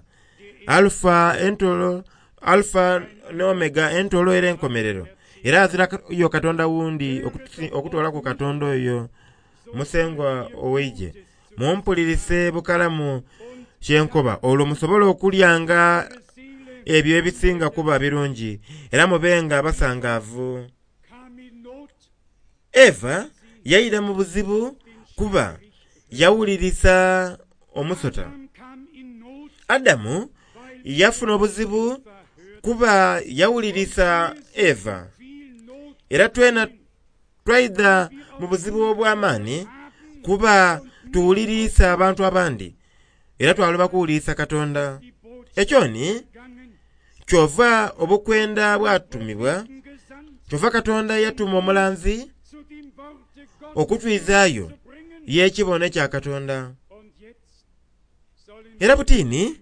Alpha entolo Alpha ne Omega entolo era enkomerero era azira yo Katonda wundi okutwalaku Katonda oyo musengwa oweije mumpulirise bukalamu kyenkoba olwo musobola okulyanga ebyo ebisinga kuba birungi era mubenga abasangaavu. Eva yaira mu buzibu kuba yawulirisa omusota. Adamu yafuna obuzibu kuba yawulirisa Eva. Era twena twaidha mu buzibu obw'amaani kuba tuwulirisa abantu abandi era twaloba kuwulirisa Katonda. Ekyo ni kyova obukwenda bwatumibwa, kyova Katonda yatuma omulanzi okutwizaayo y'ekibono ekya Katonda. Era butini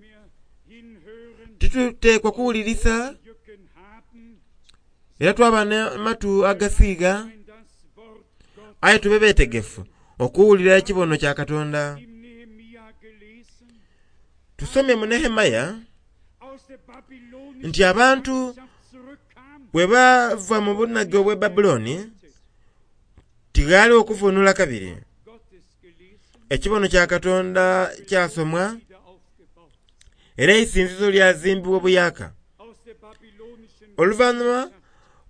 tituteekwa kuwulirisa era twaba n'amatu agasiiga aye tube beetegefu okuwulira ekibono kya Katonda. Tusomye mu Nehemaya nti abantu bwe bava mu bunage obw'e Babuloni tighaaliwo okuvunula kabiri. Ekibono kya Katonda kyasomwa era eisinzizo lyazimbibwa obuyaka. Oluvannyuma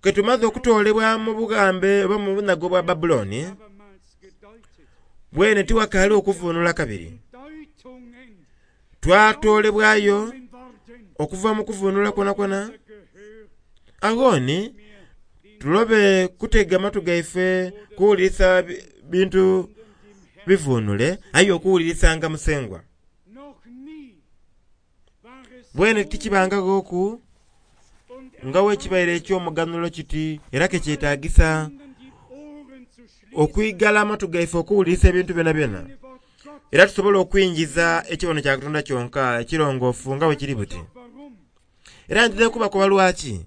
ke tumaze okutoolebwa mu bugambe oba mu bunage obwa Babuloni bwene tiwakaaliwo okuvunula kabiri. Twatoolebwayo okuva mu kuvunula kwonakwo. Aghoni tulobe kutega matu gaife kuwulirisa bintu bivunule aye okuwulirisanga musengwa. Bwene tikibangaghoku nga wekibaire eky'omuganhulo kiti era kekyetagisa okwigala amatu gaife okuwulirisa ebintu byonabyona era tusobola okwingiza ekibono kya Katonda kyonka ekirongoofu nga bwe kiri buti. Era ndidha kubakoba lwaki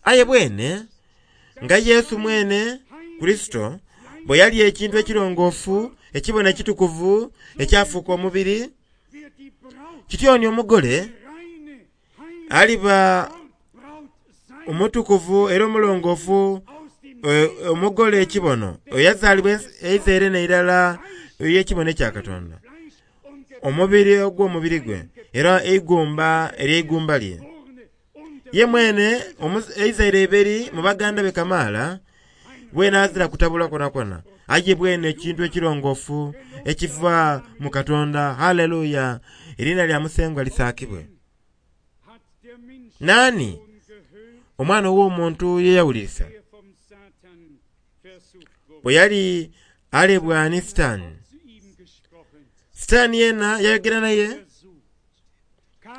aye bwene nga Yesu mwene Kristo bwe yali ekintu ekirongoofu ekibono ekitukuvu ekyafuuka omubiri kityoni omugole aliba omutukuvu era omulongoofu omugole ekibono oyazaalibwa eizaire n'eirala ey'ekibono ekya Katonda omubiri ogw'omubiri gwe era eigumba ery'eigumba lye. Ye mwene eizaire eberi mu baganda be kamaala bwene azira kutabula kwonakwo aye bwene ekintu ekirongoofu ekiva mu Katonda. Haleluya! Eriina lya Musengwa lisaakibwe. Naani omwana ow'omuntu ye yawulirisa bwe yali alebwa ni Sitaani? Sitaani yena yayogera naye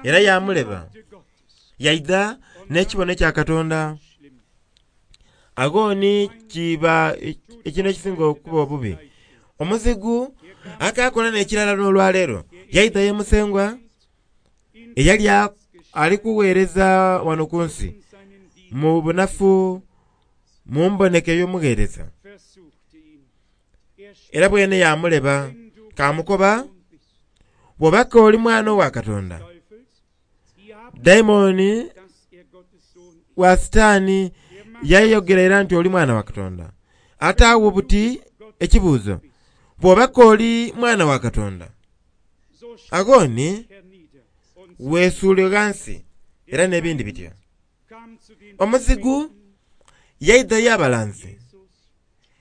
era yamuleba yaidha n'ekibono ekya Katonda. Aghoni kiba ekintu ekisinga okuba obubi. Omuzigu akakola n'ekirala n'olwaleero yaidha ye Musengwa eyali ali kuweereza wano ku nsi mu bunafu mu mboneka ey'omugheereza era bwene yamuleba kamukoba bw'obaka oli mwana wa Katonda. Daimoni wa Sitaani yayogera era nti oli mwana wa Katonda. Ate awo buti ekibuuzo bw'obaka oli mwana wa Katonda aghoni weesuule ghansi era n'ebindi bityo. Omuzigu yaidha y'abalanzi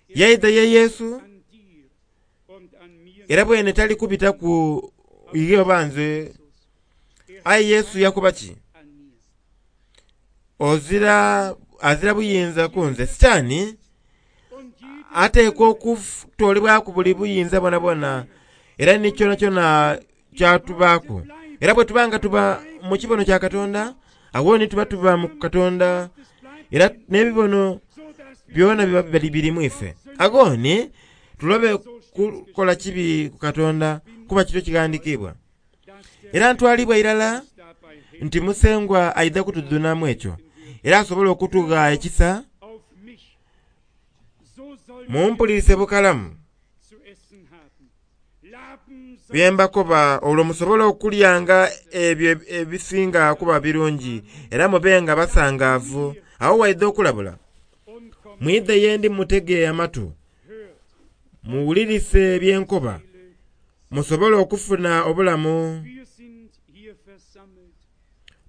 yaidha ye Yesu era bwene tali kubita ku ighe oba nze aye Yesu yakoba ki? Ozira azira buyinza ku nze. Sitaani Ateekwa okutolebwaku buli buyinza bwonabwona era ni kyonakyona kyatubaaku. Era bwe tuba nga tuba mu kibono kya Katonda, awo ni tuba tuba mu Katonda, era n'ebibono byona biba biri mu ife. Agoni tulobe kukola kibi ku Katonda kuba kityo kighandiikibwa. Era ntwalibwa irala nti Musengwa aidha kutudhunamu ekyo, era asobola okutugha ekisa. Mumpulirise bukalamu byembakoba, olwo musobole okulyanga ebyo ebisinga kuba birungi, era mubenga basangaavu. Awo waidha okulabula, mwidhe ye ndi mutege amatu, muwulirise byenkoba, musobole okufuna obulamu.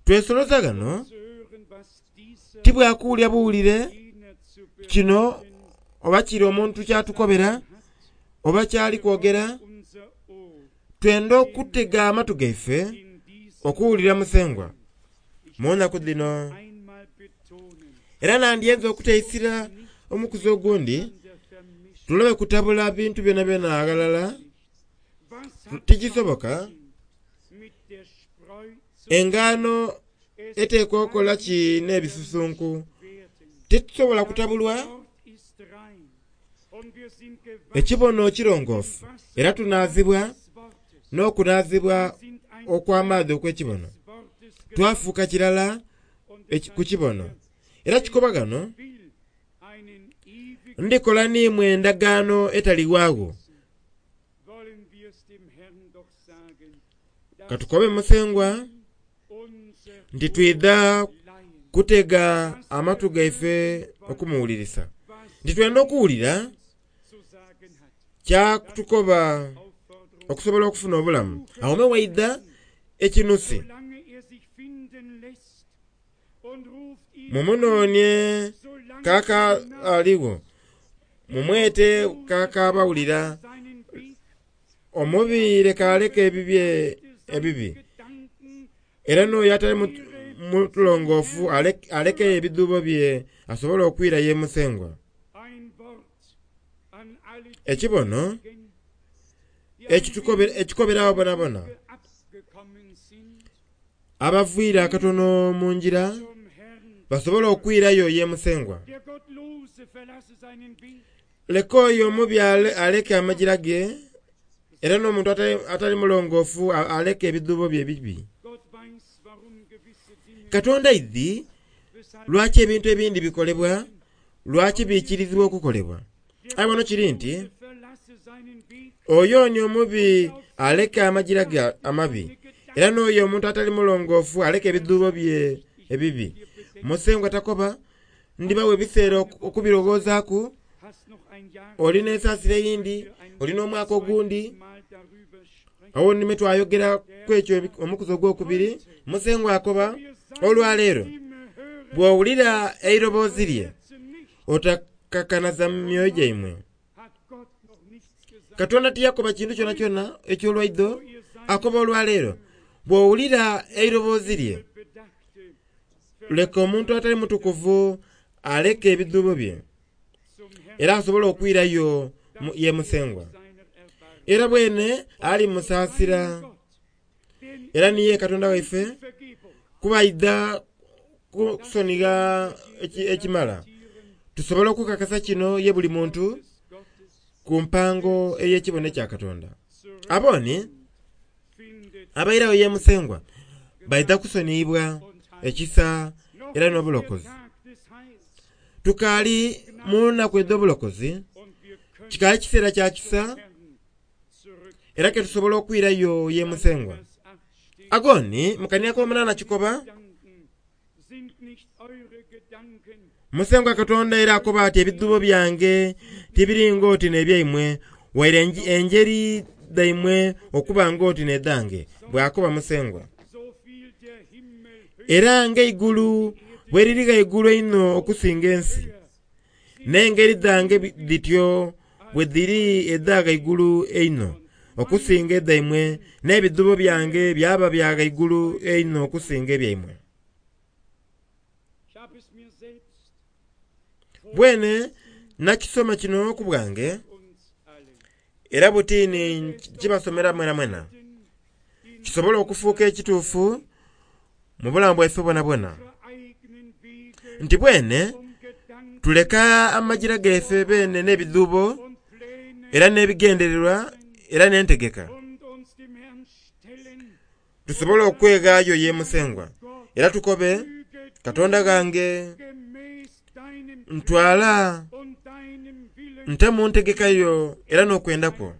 Twesoloza ghano tibwakuwulira buwulire kino oba kiri omuntu kyatukobera oba kyali kwogera. Twenda okutega amatu gaife okuwulira Musengwa mu nnaku dhino. Era nandyenze okuteisira omukuzi ogundi, tulobe kutabula bintu byonabyona aghalala. Tikisoboka. Engaano eteekwa okukola ki n'ebisusunku? Titusobola kutabulwa. Ekibono kirongoofu, era tunaazibwa n'okunaazibwa okw'amaadhi okw'ekibono. Twafuuka kirala ku kibono. Era kikoba ghano, ndikola n'imwe endagaano etaliwaagho. Katukobe Musengwa nti twidha kutega amatu gaife okumuwulirisa, nti twenda okuwulira kyatukoba okusobola okufuna obulamu. Awo me waidha ekinusi, mumunoonye kaka aligho, mumwete kaka abawulira, omubi leka aleke ebibye ebibi, era n'oyo atali mutulongoofu alekeyo ebidhuubo bye asobole okwira ye Musengwa. Ekibono ekikoberawo bonabona abaviire akatono mu ngira basobole okwirayo ye Musengwa. Leka oyo omubi aleke amagira ge, era n'omuntu atali mulongoofu aleke ebidhuubo bye ebibi. Katonda aidhi lwaki ebintu ebindi bikolebwa, lwaki biikirizibwa okukolebwa. Aye wano kiri nti oyo ni omubi aleke amagira ge amabi, era n'oyo omuntu atali mulongoofu aleke ebidhuubo bye ebibi. Musengwa takoba ndibawa ebiseera okubirowoozaaku, olina ensaasira eyindi, olina omwaka ogundi. Awo nime twayogera ku ekyo omukuzi ogwokubiri. Musengwa akoba olwaleero bw'owulira eiroboozi lye otakakanaza myoyo gyaimwe. Katonda tiyakoba kintu kyonakyona eky'olwaidho, akoba olwaleero bw'owulira eiroboozi lye leka omuntu atali mutukuvu aleke ebidhuubo bye, era asobole okwirayo ye Musengwa. Era bwene ali musaasira, era niye Katonda waife, kuba aidha kusonigha ekimala tusobole okukakasa kino ye buli muntu ku mpango ey'ekibono ekya Katonda. Aboni abairayo ye Musengwa baidha kusoniyibwa ekisa era n'obulokozi. Tukaali mu nnaku edh'obulokozi, kikaali kiseera kya kisa, era ke tusobola okwirayo ye Musengwa. Agoni mukania k'omunaana kikoba, Musengwa Katonda era akoba ati ebidhuubo byange tibiri ng'oti n'ebyaimwe, waire enjeri dhaimwe okuba ng'oti n'edhange, bw'akoba Musengwa. Era ng'eigulu bwe liri ghaigulu einho okusinga ensi, n'engeri dhange dhityo bwe dhiri edha ghaigulu einho okusinga edhaimwe, n'ebidhuubo byange byaba bya ghaigulu einho okusinga ebyaimwe. Bwene Nakisoma kino ku bwange era butini kibasomera mwena mwena kisobola okufuuka ekituufu mu bulamu bwaife bwonabwona nti bwene tuleka amajira gaife bene n'ebidhuubo era n'ebigendererwa era n'entegeka tusobole okweghaayo ye Musengwa era tukobe Katonda gange ntwala nte mu ntegeka yo era n'okwenda kwo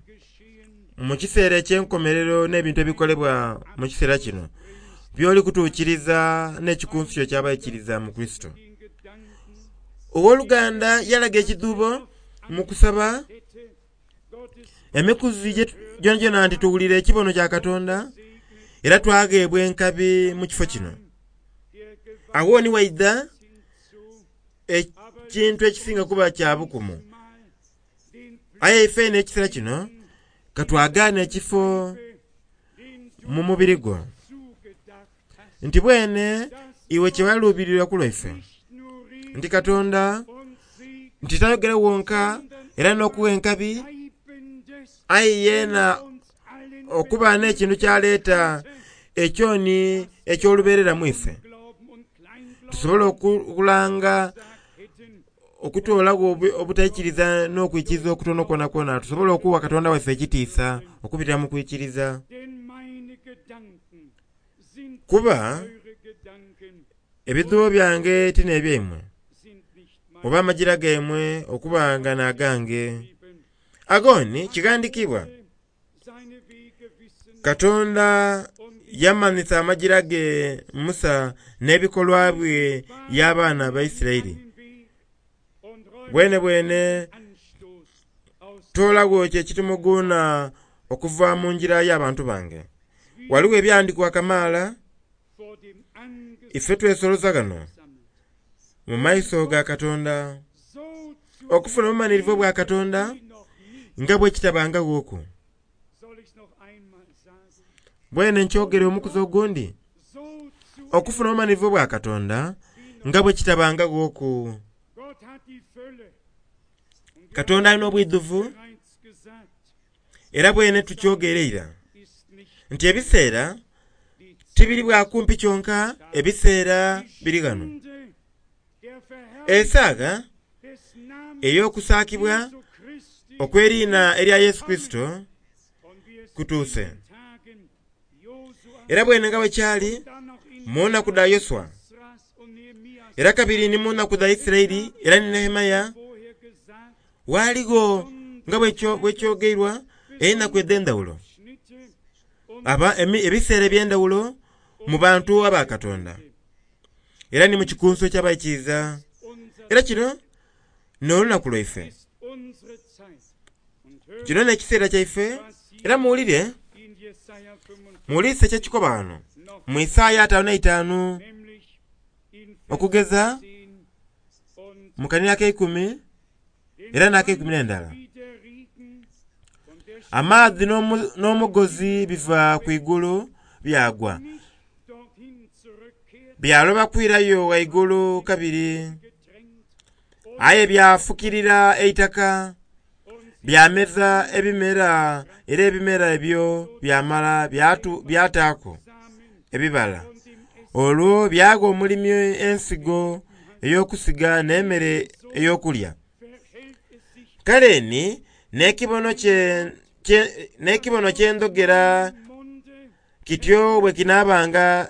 mu kiseera eky'enkomerero n'ebintu ebikolebwa mu kiseera kino by'oli kutuukiriza n'ekikunsu kyo ky'abaikiriza mu Kristo. Owooluganda yalaga ekidhuubo mu kusaba emikuzi gyonagyona nti tuwulire ekibono kya Katonda era twagheebwa enkabi mu kifo kino. Awo ni waidha ekintu ekisinga kuba kya bukumu. Aye ife n'ekiseera kino katwagaana ekifo mu mubiri gwo nti bwene iwe kyewaluubirirwa ku lwaife nti Katonda nti tayogera wonka era n'okuwa enkabi aye yeena okuba n'ekintu kyaleeta ekyoni eky'olubeerera mu ife tusobole okulanga okutoolagho obutaikiriza n'okwikiriza okutono kwonakwona tusobole okuwa Katonda waife ekitiisa okubitira mu kwikiriza. Kuba ebidhuubo byange ti n'ebyaimwe oba amajira gaimwe okuba nga n'agange. Agoni kighandhiikibwa Katonda yamanhisa amajira ge Musa n'ebikolwa bye y'abaana ba Isiraeli. Bwene bwene toolagho ekyo ekitumuguunha okuva mu ngira y'abantu bange. Ghaligho ebyawandiikibwa kamaala ife twesoloza ghano mu maiso ga Katonda okufuna obumanhirivu obwa Katonda nga bwe kitabangaghooku. Bwene nkyogere omukuzi ogundi okufuna obumanhirivu obwa Katonda nga bwe kitabangaghooku. Katonda alina obwidhuvu era bwene tukyogere ira nti ebiseera tibiri bwa kumpi kyonka ebiseera biri ghano. Esaaga ey'okusaakibwa okw'eriina erya Yesu Kristo kutuuse. Era bwene nga bwe kyali mu nnaku dha Yoswa era kabiri ni mu nnaku dha Isiraeli era ni Nehemiya ghaligho nga bwekyogeirwa enaku edh'endhaghulo aba ebiseera eby'endhaghulo mu bantu aba Katonda era ni mu kikunsu eky'abaikiriza. Era kino n'olunaku lwaife, kino n'ekiseera kyaife. Era muwulire muwulirise ekyekikoba ghano mu Isaaya ataanu n'eitaanu okugeza mu kanhiriro ak'eikumi era n'akeikumi n'endala. Amaadhi n'omugozi biva ku igulu byagwa byaloba kwirayo ghaigulu kabiri aye byafukirira eitaka byameza ebimera era ebimera ebyo byamala byataaku ebibala. Olwo byagha omulimi ensigo ey'okusiga n'emmere ey'okulya. Kale ni n'ekibono kye ndhogera kityo bwe kinaabanga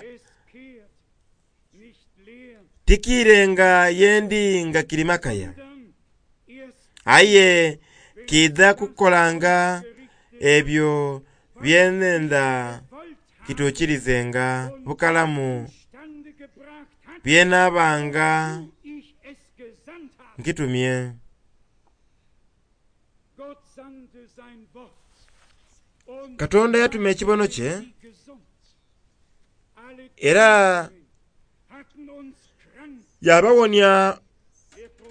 tikiirenga ye ndi nga kiri makaya. Aye kiidha kukolanga ebyo bye nnhenda kituukirizenga bukalamu bye nnaabanga nkitumye. Katonda yatuma ekibono kye era yabawonia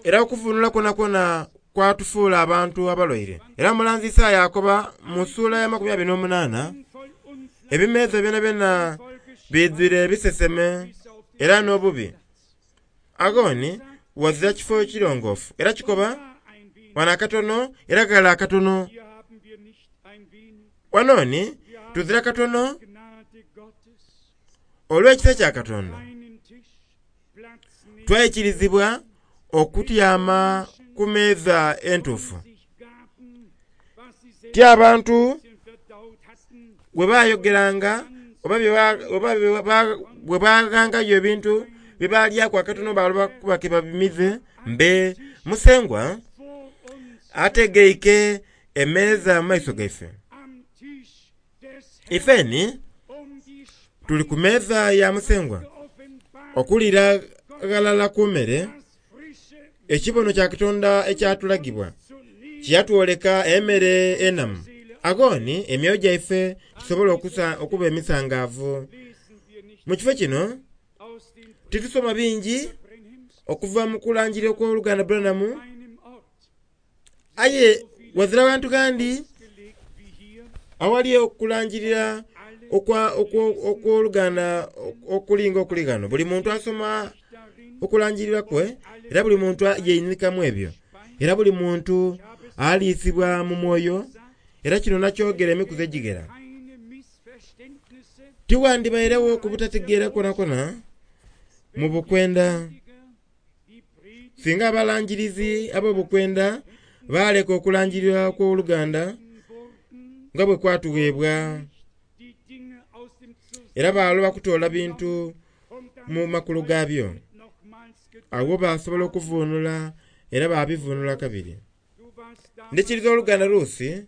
era okuvunula kwonakwona kwatufuula abantu abalwaire. Era omulanzi Isaaya akoba mu ssuula ya makumi abiri n'omunaana ebimeeza byonabyona biidhwire ebiseseme era n'obubi. Aghoni ghazira kifo kirongoofu era kikoba Wano akatono era ghala akatono. Wano ni tuzira katono olw'ekisa kya Katonda twaikirizibwa okutyama ku meeza entuufu. Ti abantu bwe bayogeranga oba bwe baghangayo ebintu bye balyaku akatono baloba kuba ke babimize. Mbe Musengwa ategeike emeeza mu maiso gaife. Ifeni tuli ku meeza ya Musengwa okulira ghalala ku mere ekibono kya Katonda ekyatulagibwa kyeyatwoleka emmere enamu. Agho ni emyoyo gyaife gisobole okuba emisangaavu. Mu kifo kino titusoma bingi okuva mu kulangirira okw'oluganda Branham, aye wazira bantu gandi awali okulangirira okw'oluganda okulinga okuli ghano. Buli muntu asoma okulangirira kwe, era buli muntu yeinhikamu ebyo, era buli muntu aliisibwa mu mwoyo. Era kino nakyogera emikuzi egighera. Tiwandibairegho ku butategeera kwonakwo mu bukwenda singa abalangirizi ab'obukwenda baleka okulangirira okw'oluganda nga bwe kwatugheebwa, era baloba kutoola bintu mu makulu gaabyo. Agho basobola okuvunula era babivunula kabiri. Ndikiriza oluganda Rusi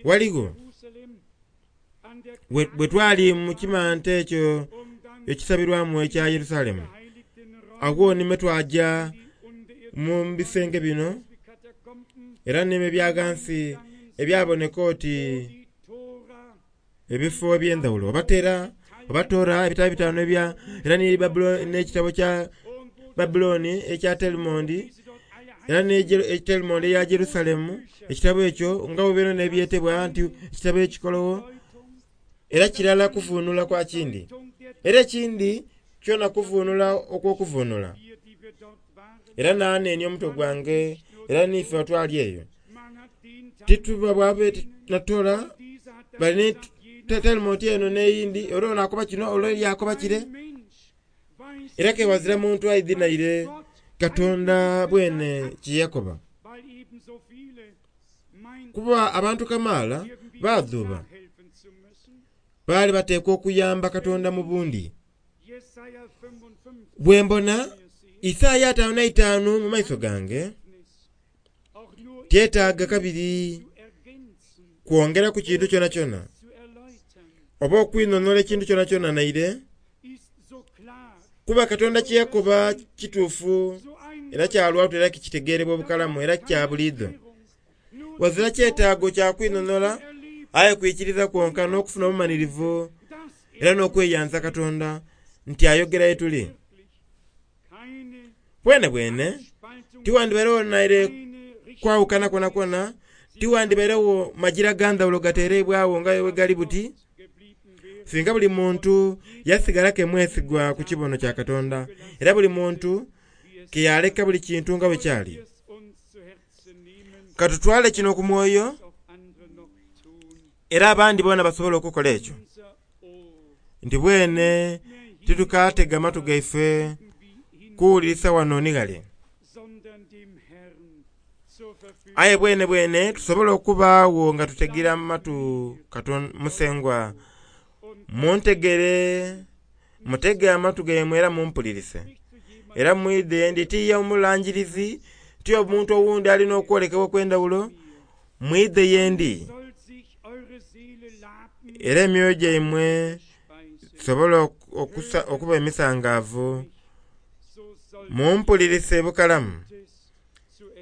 waligho bwe twali mu kimante ekyo ekisabirwamu ekya Yerusalemu. Agho nimwe twaja mu bisenge bino era nimwe ebya ghansi ebyaboneka oti ebifo eby'endhawulo. Obatera obatora ebitabo ebitaano ebya era n'ekitabo kya Babiloni ekya Talmud, era ne Talmud eya Jerusalemu. Ekitabo ekyo nga bwe n'ebyetebwa nti ekitabo ekikologho, era kirala kuvunula kwa kindi, era ekindi kyona kuvunula okw'okuvunula. Era nanenia omutwe gwange, era niife otwali eyo tituba bwabe natola bali Talmud eno n'eyindi, era ono akoba kino ole yakoba kire, era kewazira muntu aidhi naire Katonda bwene kyeyakoba. Kuba abantu kamaala badhuuba baali bateekwa okuyamba Katonda mu bundi. Bwe mbona Isaaya ataano na itaanu mu maiso gange, tyetaaga kabiri kwongera ku kintu kyonakyona oba okwinhonhola ekintu kyonakyona naire, kuba Katonda kyeyakoba kituufu era kyalwatu era kitegeerebwa obukalamu era kya buliidho. Wazira kyetaago kya kwinhonhola, aye kwikiriza kwonka n'okufuna obumanhirivu era n'okweyanza Katonda nti ayogera ye tuli. Bwene bwene tiwandibairegho naire kwawukana kwonakwo, tiwandibairegho magira ga ndhawulo gatereibwagho nga bwe gali buti, singa buli muntu yasigala ke mwesigwa ku kibono kya Katonda, era buli muntu ke yaleka buli kintu nga bwe kyali. Katutwale kino ku mwoyo, era abandi boona basobola okukola ekyo. Nti bwene titukatega matu gaife kuwulirisa wano ni ghale, aye bwene bwene tusobola okubaagho nga tutegera matu Katonda Musengwa. Muntegere, mutege amatu gaimwe era mumpulirise, era mwidhe ndi tiye omulangirizi, ti omuntu owundi alina okwolekebwa okw'endhawulo. Mwidhe ye ndi, era emyoyo gyaimwe gisobole okuba emisangaavu. Mumpulirise bukalamu,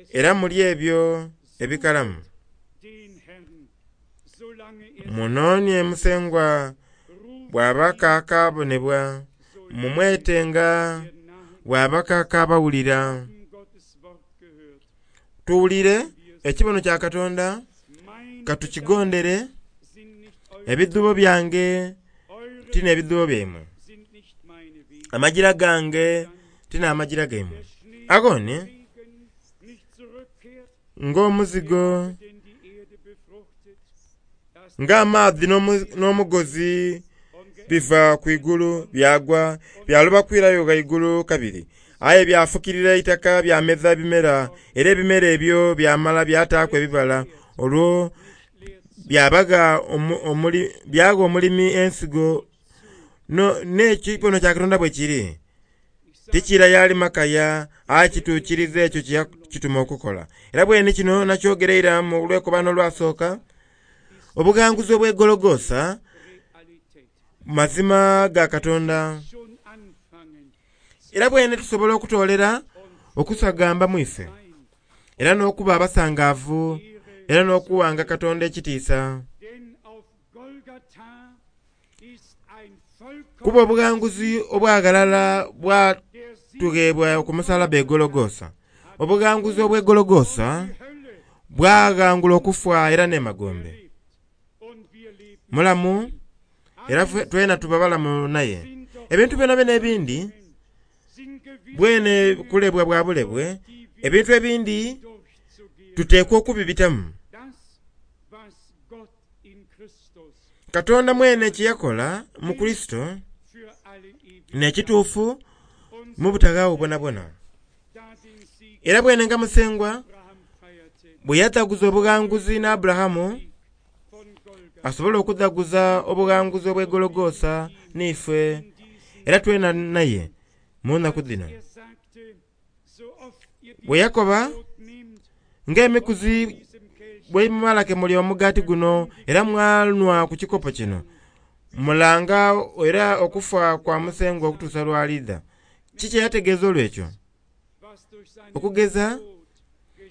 era mulye ebyo ebikalamu. Munoonie Musengwa bw'aba kaakabonebwa, mumwetenga bw'aba kaakabawulira. Tuwulire ekibono kya Katonda, katukigondere. Ebidhuubo byange ti n'ebidhuubo byaimwe, amagira gange ti n'amagira gaimwe. Agho ni Ng'omuzigo, ng'amaadhi n'omugozi biva ku igulu byagwa, byaloba kwirayo ghaigulu kabiri. Aye byafukirira eitaka byameza ebimera, era ebimera ebyo byamala byataaku ebibala. Olwo byabagha byagha omulimi ensigo. N'ekibono kya Katonda bwe kiri, tikira yali makaya, aye kituukiriza ekyo kye yakituma okukola. Era bwene kino nakyogera ira mu lwekobano olwasooka, obughanguzi obw'egologosa mazima ga Katonda. Era bwene tusobola okutoolera okusagamba mu ife, era n'okuba abasangaavu, era n'okuwanga Katonda ekitiisa. Kuba obughanguzi obwaghalala bwatugheebwa ku musalaba e Gologosa. Obughanguzi obw'egologosa bwaghangula okufa era n'emagombe. Mulamu era twena tuba balamu naye. Ebintu byonabyona ebindi bwene kulebwa bwa bulebwe, ebintu ebindi tuteekwa okubibitamu. Katonda mwene kye yakola mu Kurisito n'ekituufu mu butaghaagho bwonabwona. Era bwene nga Musengwa bwe yadhaguza obughanguzi n'Aburahamu, asobola okudhaguza obughanguzi obw'egologosa n'ife, era twena naye mu nnaku dhino. Bwe yakoba ng'emikuzi bwe mumala ke mulya omugaati guno era mwanhwa ku kikopo kino, mulanga era okufa kwa Musengwa okutuusa lw'alidha. Kiki eyategeeza olw'ekyo? Okugeza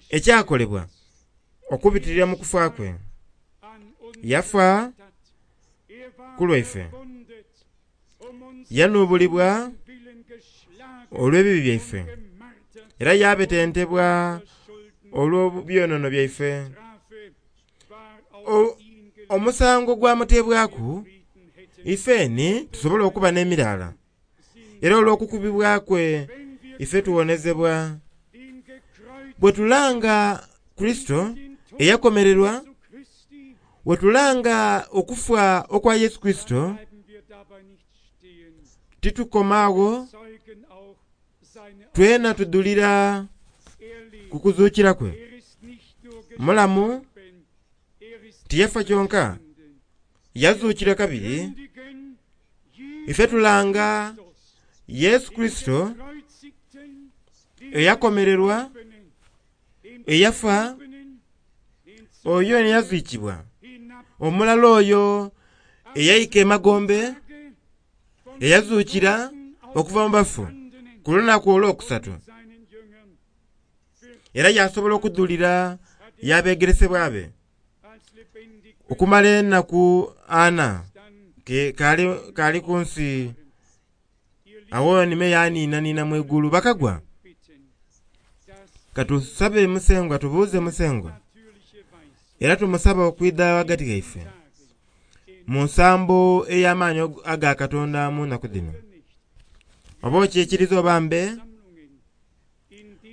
ekyakolebwa okubitirira mu kufa kwe. Yafa ku lwaife, yanuubulibwa olw'ebibi byaife, era yabetentebwa olw'ebyonoono byaife. Omusango gwamuteebwaku ifeni tusobole okuba n'emiraala, era olw'okukubibwa kwe ife tuwonezebwa. Bwe tulanga Kurisito eyakomererwa, bwe tulanga okufa okwa Yesu Kurisito, titukoma agho, twena tudhulira ku kuzuukira kwe. Mulamu tiyafa kyonka, yazuukira kabiri. Ife tulanga Yesu Kurisito eyakomererwa, eyafa, oyo eyaziikibwa, omulala oyo eyaika emagombe, eyazuukira okuva mu bafu ku lunaku olwokusatu, era yasobola okudhulira y'abeegeresebwa be okumala enaku ana kali, kali ku nsi. Awo nime yaniinaniina mu igulu bakagwa. Katusabe Musengwa, tubuuze Musengwa, era tumusaba okwidha ghagati ghaife mu nsambo ey'amaanyi aga Katonda mu nnaku dhino. Oba okyekiriza oba mbe,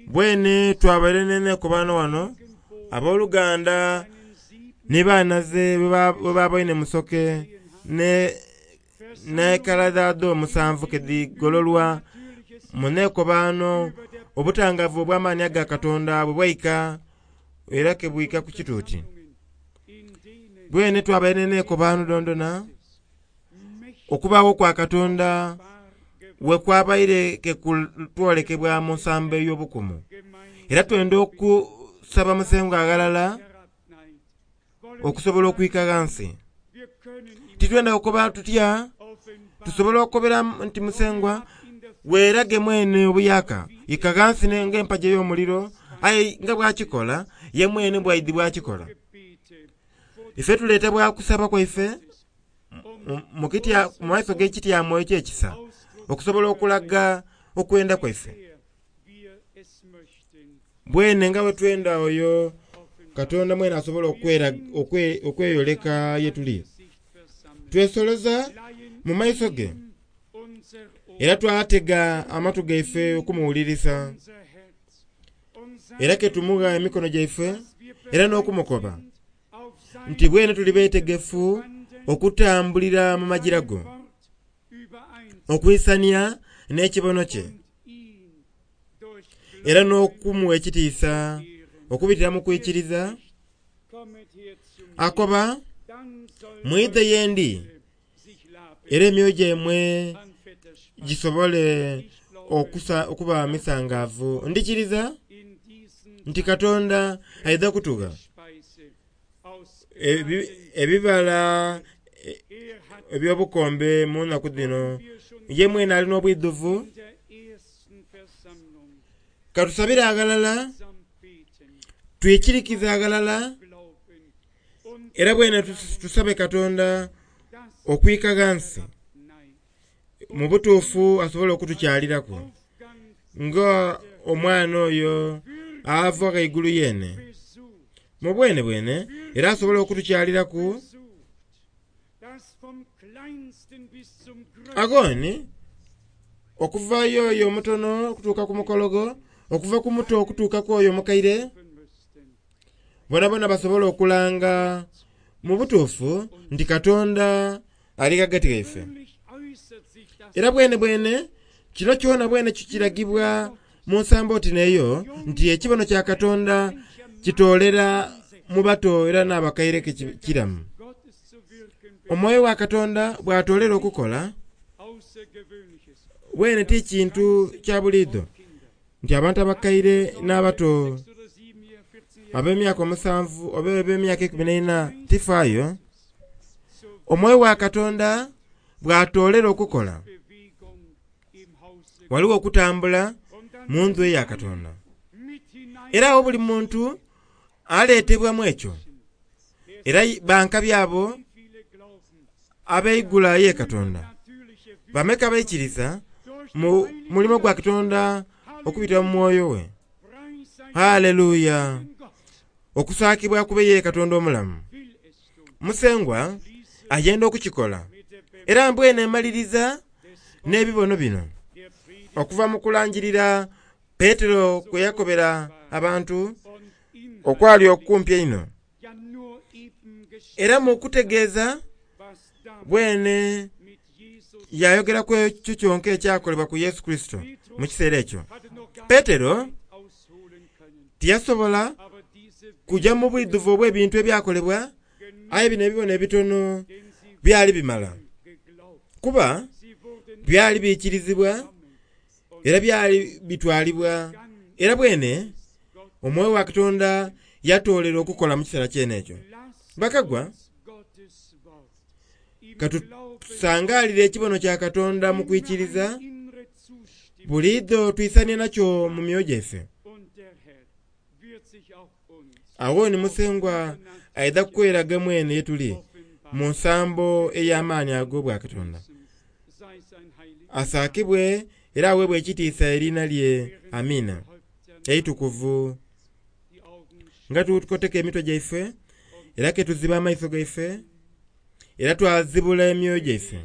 bwene twabaire n'enekobano wano, abooluganda ni banaze bwe baboine musoke ne n'ekala dhaadho omusanvu ke dhigololwa mu neekobano, obutangavu obw'amaanyi aga Katonda bwe bwaika era ke bwika ku kituuti. Bwene twabaire n'enekobano dondona, okubaagho kwa Katonda we kwabaire ke kutwolekebwa mu nsambo ey'obukumu. Era twenda okusaba Musengwa aghalala okusobola okwika ghansi. Titwenda kukoba tutya, tusobola okukobera nti Musengwa weerage mwene obuyaka, ika ghansi ng'empagi ey'omuliro, aye nga bwakikola ye mwene bwaidhi bwakikola. Ife tuleeta bwa kusaba kwaife mu maiso g'ekityamo eky'ekisa okusobola okulaga okwenda kwaife. Bwene nga bwe twenda oyo Katonda mwene asobola okweyoleka ye tuli. Twesoloza mu maiso ge era twatega amatu gaife okumuwulirisa. Era ke tumugha emikono gyaife era n'okumukoba nti bwene tuli beetegefu okutambulira mu magira go, okwisania n'ekibono kye, era n'okumuwa ekitiisa okubitira mu kwikiriza. Akoba, mwidhe ye ndi era emyoyo gyaimwe gisobole okusa okuba misangaavu. Ndikiriza nti Katonda aidha kutugha ebibala eby'obukombe mu nnaku dhino. Ye mwene alina obwidhuvu. Katusabire aghalala, twikirikize aghalala, era bwene tusabe Katonda okwika ghansi mu butuufu asobole okutukyaliraku nga omwana oyo ava ghaigulu yene mu bwene bwene, era asobole okutukyaliraku. Agoni okuva yoyo omutono okutuuka ku mukologo, okuva ku muto okutuuka ku oyo omukaire, bonabona basobole okulanga mu butuufu nti Katonda ali ghagati ghaife. Era bwene bwene kino kyona bwene kikiragibwa mu nsambo oti n'eyo nti ekibono kya Katonda kitoolera mu bato era n'abakaire kiramu. Omwoyo wa Katonda bw'atoolera okukola, bwene ti kintu kya buliidho nti abantu abakaire n'abato ab'emyaka omusanvu oba ab'emyaka ekumi n'eina tifaayo. Omwoyo wa Katonda bw'atoolera okukola, waliwo okutambula mu ndhu eya Katonda. Era awo buli muntu aleetebwamu ekyo, era bankabi abo abeigula ye Katonda. Bameka abaikiriza mu mulimo gwa Katonda okubitira mu mwoyo we. Haleluya! Okusaakibwa kube ye Katonda omulamu. Musengwa ayenda okukikola. Era mbwene emaliriza n'ebibono bino okuva mu kulangirira Petero kwe yakobera abantu okwali okumpi einho. Era mu kutegeeza bwene yayogeraku ekyo kyonka ekyakolebwa ku Yesu Kurisito mu kiseera ekyo. Petero tiyasobola kuja mu bwidhuvu obw'ebintu ebyakolebwa, aye bino ebibono ebitono byali bimala, kuba byali biikirizibwa era byali bitwalibwa. Era bwene omwoyo wa Katonda yatoolera okukola mu kiseera kyene ekyo. Bakagwa, katusangalire ekibono kya Katonda mu kwikiriza, buliidho twisanie nakyo mu myoyo gyaife. Agho ni Musengwa aidha kweraga mwene ye tuli mu nsambo ey'amaani ag'obwakatonda. Asaakibwe era aweebwe ekitiisa eriina lye. Amiina. Eitukuvu. Nga tukoteka emitwe gyaife, era ke tuziba amaiso gaife, era twazibula emyoyo gyaife.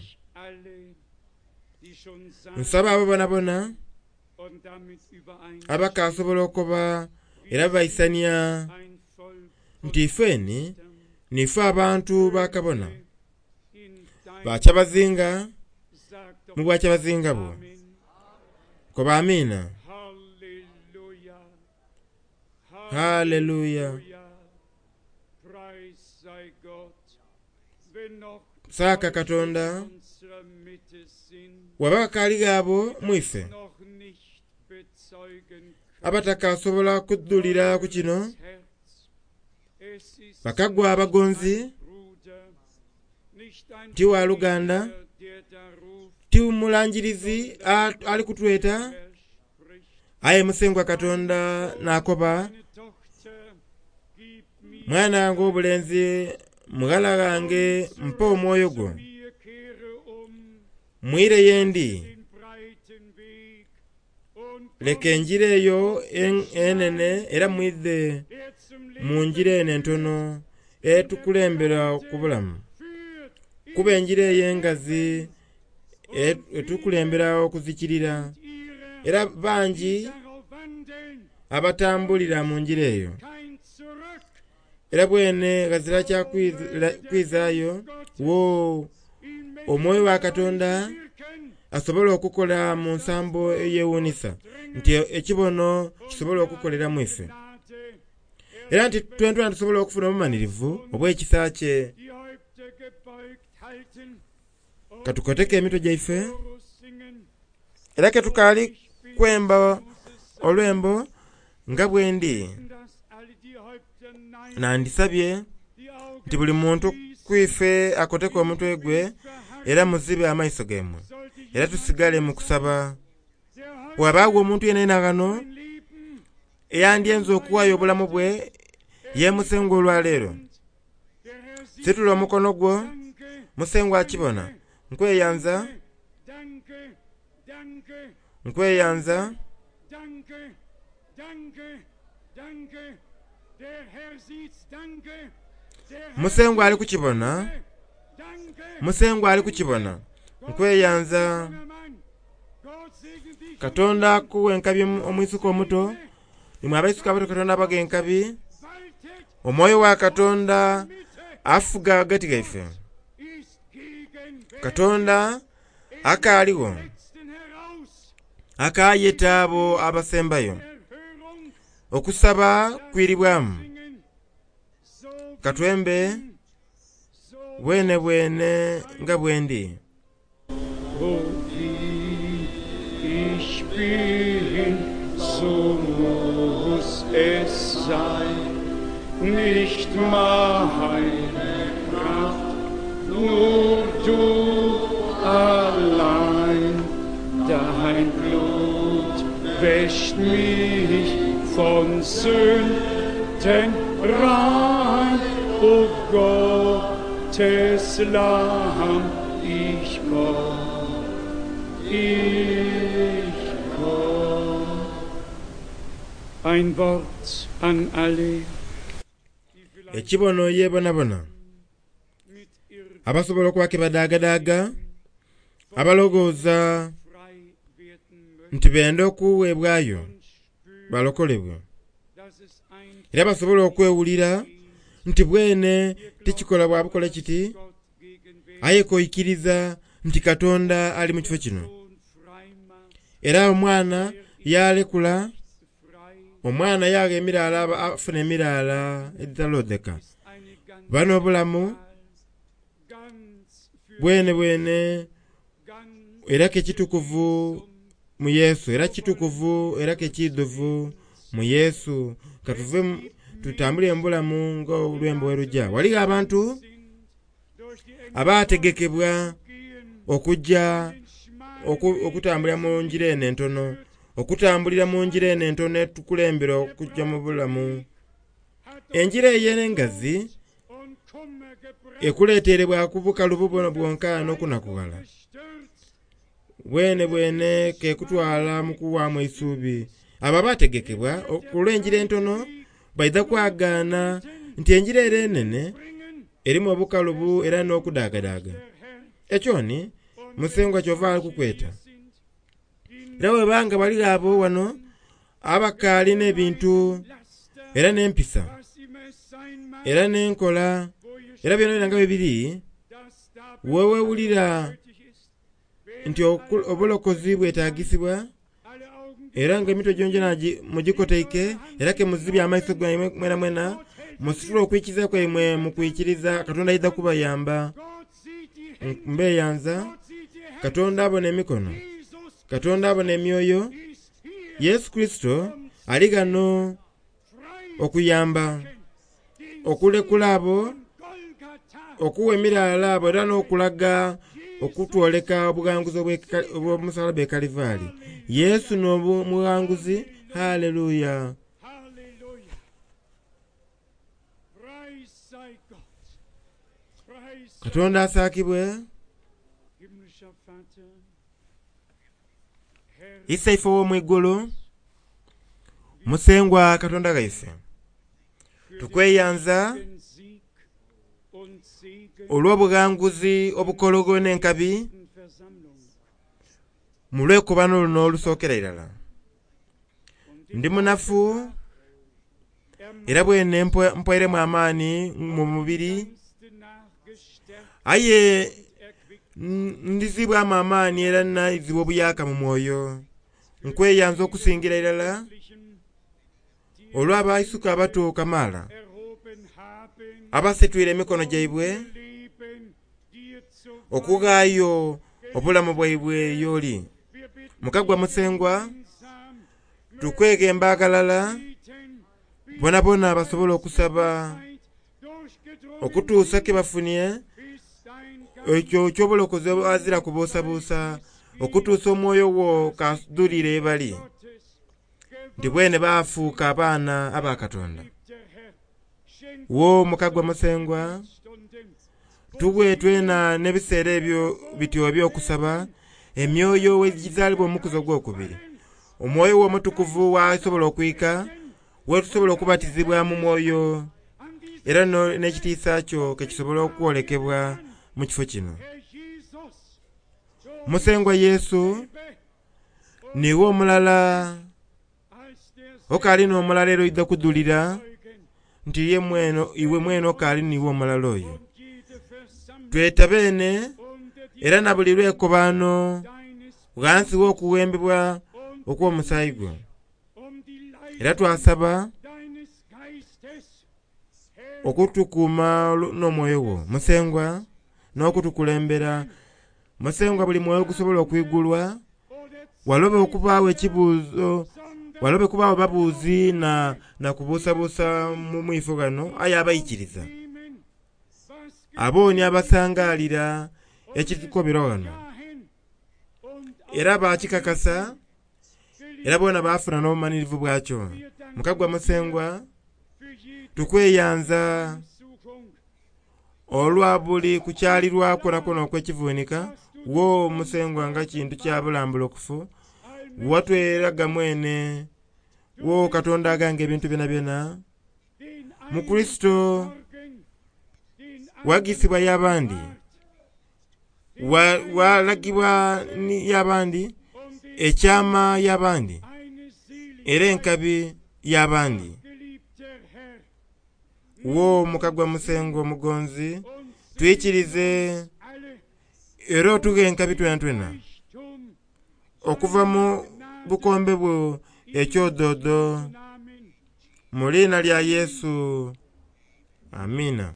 Nsaba abo bonabona abakasobola okuba era baisania nti ifeni nife abantu ba kabona bakyabazinga mu bwakyabazinga bwo. Koba amiina. Haleluya. Saaka Katonda waba bakaali abo mu ife abatakasobola kudhulira ku kino, bakagwa abagonzi, ti waluganda, ti mulangirizi ali kutweta, aye Musengwa Katonda n'akoba, mwana wange obulenzi, mughala wange, mpa omwoyo gwo, mwire ye ndi, leka enjira eyo enene era mwidhe mu njira eno entono etukulembera ku bulamu. Kuba enjira eyo engazi etukulembera okuzikirira, era bangi abatambulira mu njira eyo. Kein Zurück Era bwene ghazira kya kwizira- kwizaayo wo in omwoyo wa Katonda Wirken asobola okukola mu nsambo eyewuunisa nti ekibono kisobola okukolera mu ife. Gnade Era nti twentwena tusobola okufuna obumanirivu obw'ekisa kye. die Häupter gebeugt halten und Katukoteke emitwe gyaife Chorus singen. era ke tukaali Ich bin kwemba muss es sein, olwembo nga bwe ndi dass alle die Häupter neigen, nandisabye die Augen nti buli muntu schließen, kwife akoteke omutwe gwe era muzibe amaiso gemmwe sollte era tusigale mu kusaba. der heute Bw'abaawo omuntu yenayena ghano mein Leben eyandyenze okuwaayo obulamu bwe ye Musengwa olwaleero, der Herr sieht situla omukono gwo danke, Musengwa akibona. Nkweyanza, danke, danke, nkweyanza, danke, danke, danke. Der Herr sieht's, danke. Der Herr Musengwa ali kukibona, danke. Musengwa ali kukibona. Nkweyanza. Junger Mann, Gott segne dich. Katonda akuwa enkabi omwisuka omuto, imwe abaisuka abato Katonda abaga enkabi. Waltet Omwoyo wa Katonda Mitte afuga ghagati gaife. ist gegenwärtig. Katonda akaaligho Letzten heraus akaayeta abo abasembayo. Erhörung Okusaba kwiribwamu. singen. So wie Katwembe so bwene bwene nga bwendi. wo wie ich bin, so muss es sein. Nicht meine Kraft, nur du allein. Dein Blut wäscht mich von Sünden rein. O Gottes Lamm, ich komm, ich komm. Ein Wort an alle, die vielleicht Ekibono yeebonabona mit Irrtum abasobola okuba ke badaagadaaga abalowooza frei werden möchten nti benda okuweebwayo und spüren, balokolebwe dass es ein era basobola okwewulira nti bwene tikikola bwa bukola kiti Gott gegenwärtig aye koikiriza nti Katonda ali mu kifo kino. Sohn frei macht, Era omwana yalekula frei omwana yagha emiraala aba- afuna emiraala egitalodheka. ist eine ganz Bano obulamu ganz für bwene bwene ganz era ke kitukuvu mu Yesu era kitukuvu era ke kidhuvu mu Yesu. Katuve mu- tutambulire mu bulamu ng'olwembo bwe lujja. Waligho abantu sind durch die Engel abaategekebwa gehen, okujja den schmalen oku- okutambulira mu njira eno entono okutambulira mu njira eno entono etukulembera okujja mu bulamu. hat Enjira ey'engazi und Kummer gebracht, ekuleeterebwa ku bukalubu buno bwonka n'okunakughala. gestürzt, Bwene bwene kekutwala mu kuwaamu eisuubi. Abo abaategekebwa olw'enjira entono baidha kwagaana nti enjira era enene bringen erimu obukalubu era n'okudaagadaaga. der Herr Ekyo ni Musengwa kyova ali kukweta. sind, die Era bwebanga baligho abo wano abakaalina ebintu Laster, era n'empisa was immer es sein mag, era n'enkola wo ihr era byona byona nga bwe biri dass da weewewulira nötig ist, wer nti oku- obulokozi bwetaagisibwa alle Augen era ng'emitwe gyongyona gi- mugikoteike era ke muzibye amaiso gaimwe mwena mwena musitule okwikiriza kwaimwe mu kwikiriza Katonda aidha kubayamba. Gott sieht die Hände, Mbeeyanza Gott sieht die Hände, Katonda abona emikono Jesus Katonda abona emyoyo ist hier Yesu Kristo ali ghano frei okuyamba den okulekula abo von Golgatha okuwa emiraala abo era n'okulaga okutwoleka obughanguzi obw'eka- obw'omusalaba e Kalivaali. Yesu n'omughanguzi. Haleluya. Halleluja. Preis sei Gott. Preis sei Katonda asaakibwe. himmlischer Vater. Herr, Isaife ow'omu igulu Musengwa Katonda ghaife für tukweyanza den Sieg und Segen olw'obughanguzi obukologo n'enkabi der Versammlung mu lwekobano luno olusookera irala. und Ndi munafu era bwene mpwairemu amaani mu mubiri, aye ndhizibwamu amaani era naizibwa obuyaka mu mwoyo. Nkweyanza okusingira irala olw'abaisuka abato kamaala abasitwire emikono gyaibwe okughaayo obulamu bwaibwe y'oli. Mukagwa Musengwa, tukweghemba aghalala bonabona basobole okusaba okutuusa ke bafunye ekyo eky'obulokozi aghazira kubuusabuusa, okutuusa omwoyo wo k'adhulire ye bali nti bwene baafuuka abaana aba Katonda. Wo Mukagwa Musengwa, tugwe twena n'ebiseera ebyo bityo eby'okusaba emyoyo egizaalibwa omukuzi ogwokubiri, omwoyo wo omutukuvu wasobola okwika, wetusobola okubatizibwa mu mwoyo era n'ekitiisa kyo kekisobola okwolekebwa mu kifo kino. Musengwa Yesu, niiwe omulala okaali n'omulala era oidha kudhulira nti ye mwene iwe mwene okaali niiwe omulala oyo. Tweta beene era na buli lwekobaano ghansi w'okughembebwa okw'omusaayi gwo. Era twasaba okutukuuma n'omwoyo wo Musengwa n'okutukulembera. Musengwa buli mwoyo gusobola okwigulwa, walobe okubaawo ekibuuzo, walobe kubaawo babuuzi na, na kubuusabuusa mu mwifo ghano, aye abaikiriza abo ni abasangalira ekitukobera ghano era bakikakasa era bona bafuna n'obumanirivu bwakyo. Mukagwa Musengwa, tukweyanza olwa buli kukyalirwa kwonakwo okwekivunika wo Musengwa nga kintu kya bulambulukufu, watweraga mwene wo Katonda aganga ebintu byonabyona mu Kurisito wagisibwa y'abandi, walagibwa y'abandi, ekyama y'abandi, era enkabi y'abandi. Wo Mukagwa Musengwa omugonzi, twikirize era otughe enkabi twenatwena okuva mu bukombe bwo ekyododo mu liina lya Yesu. Amiina.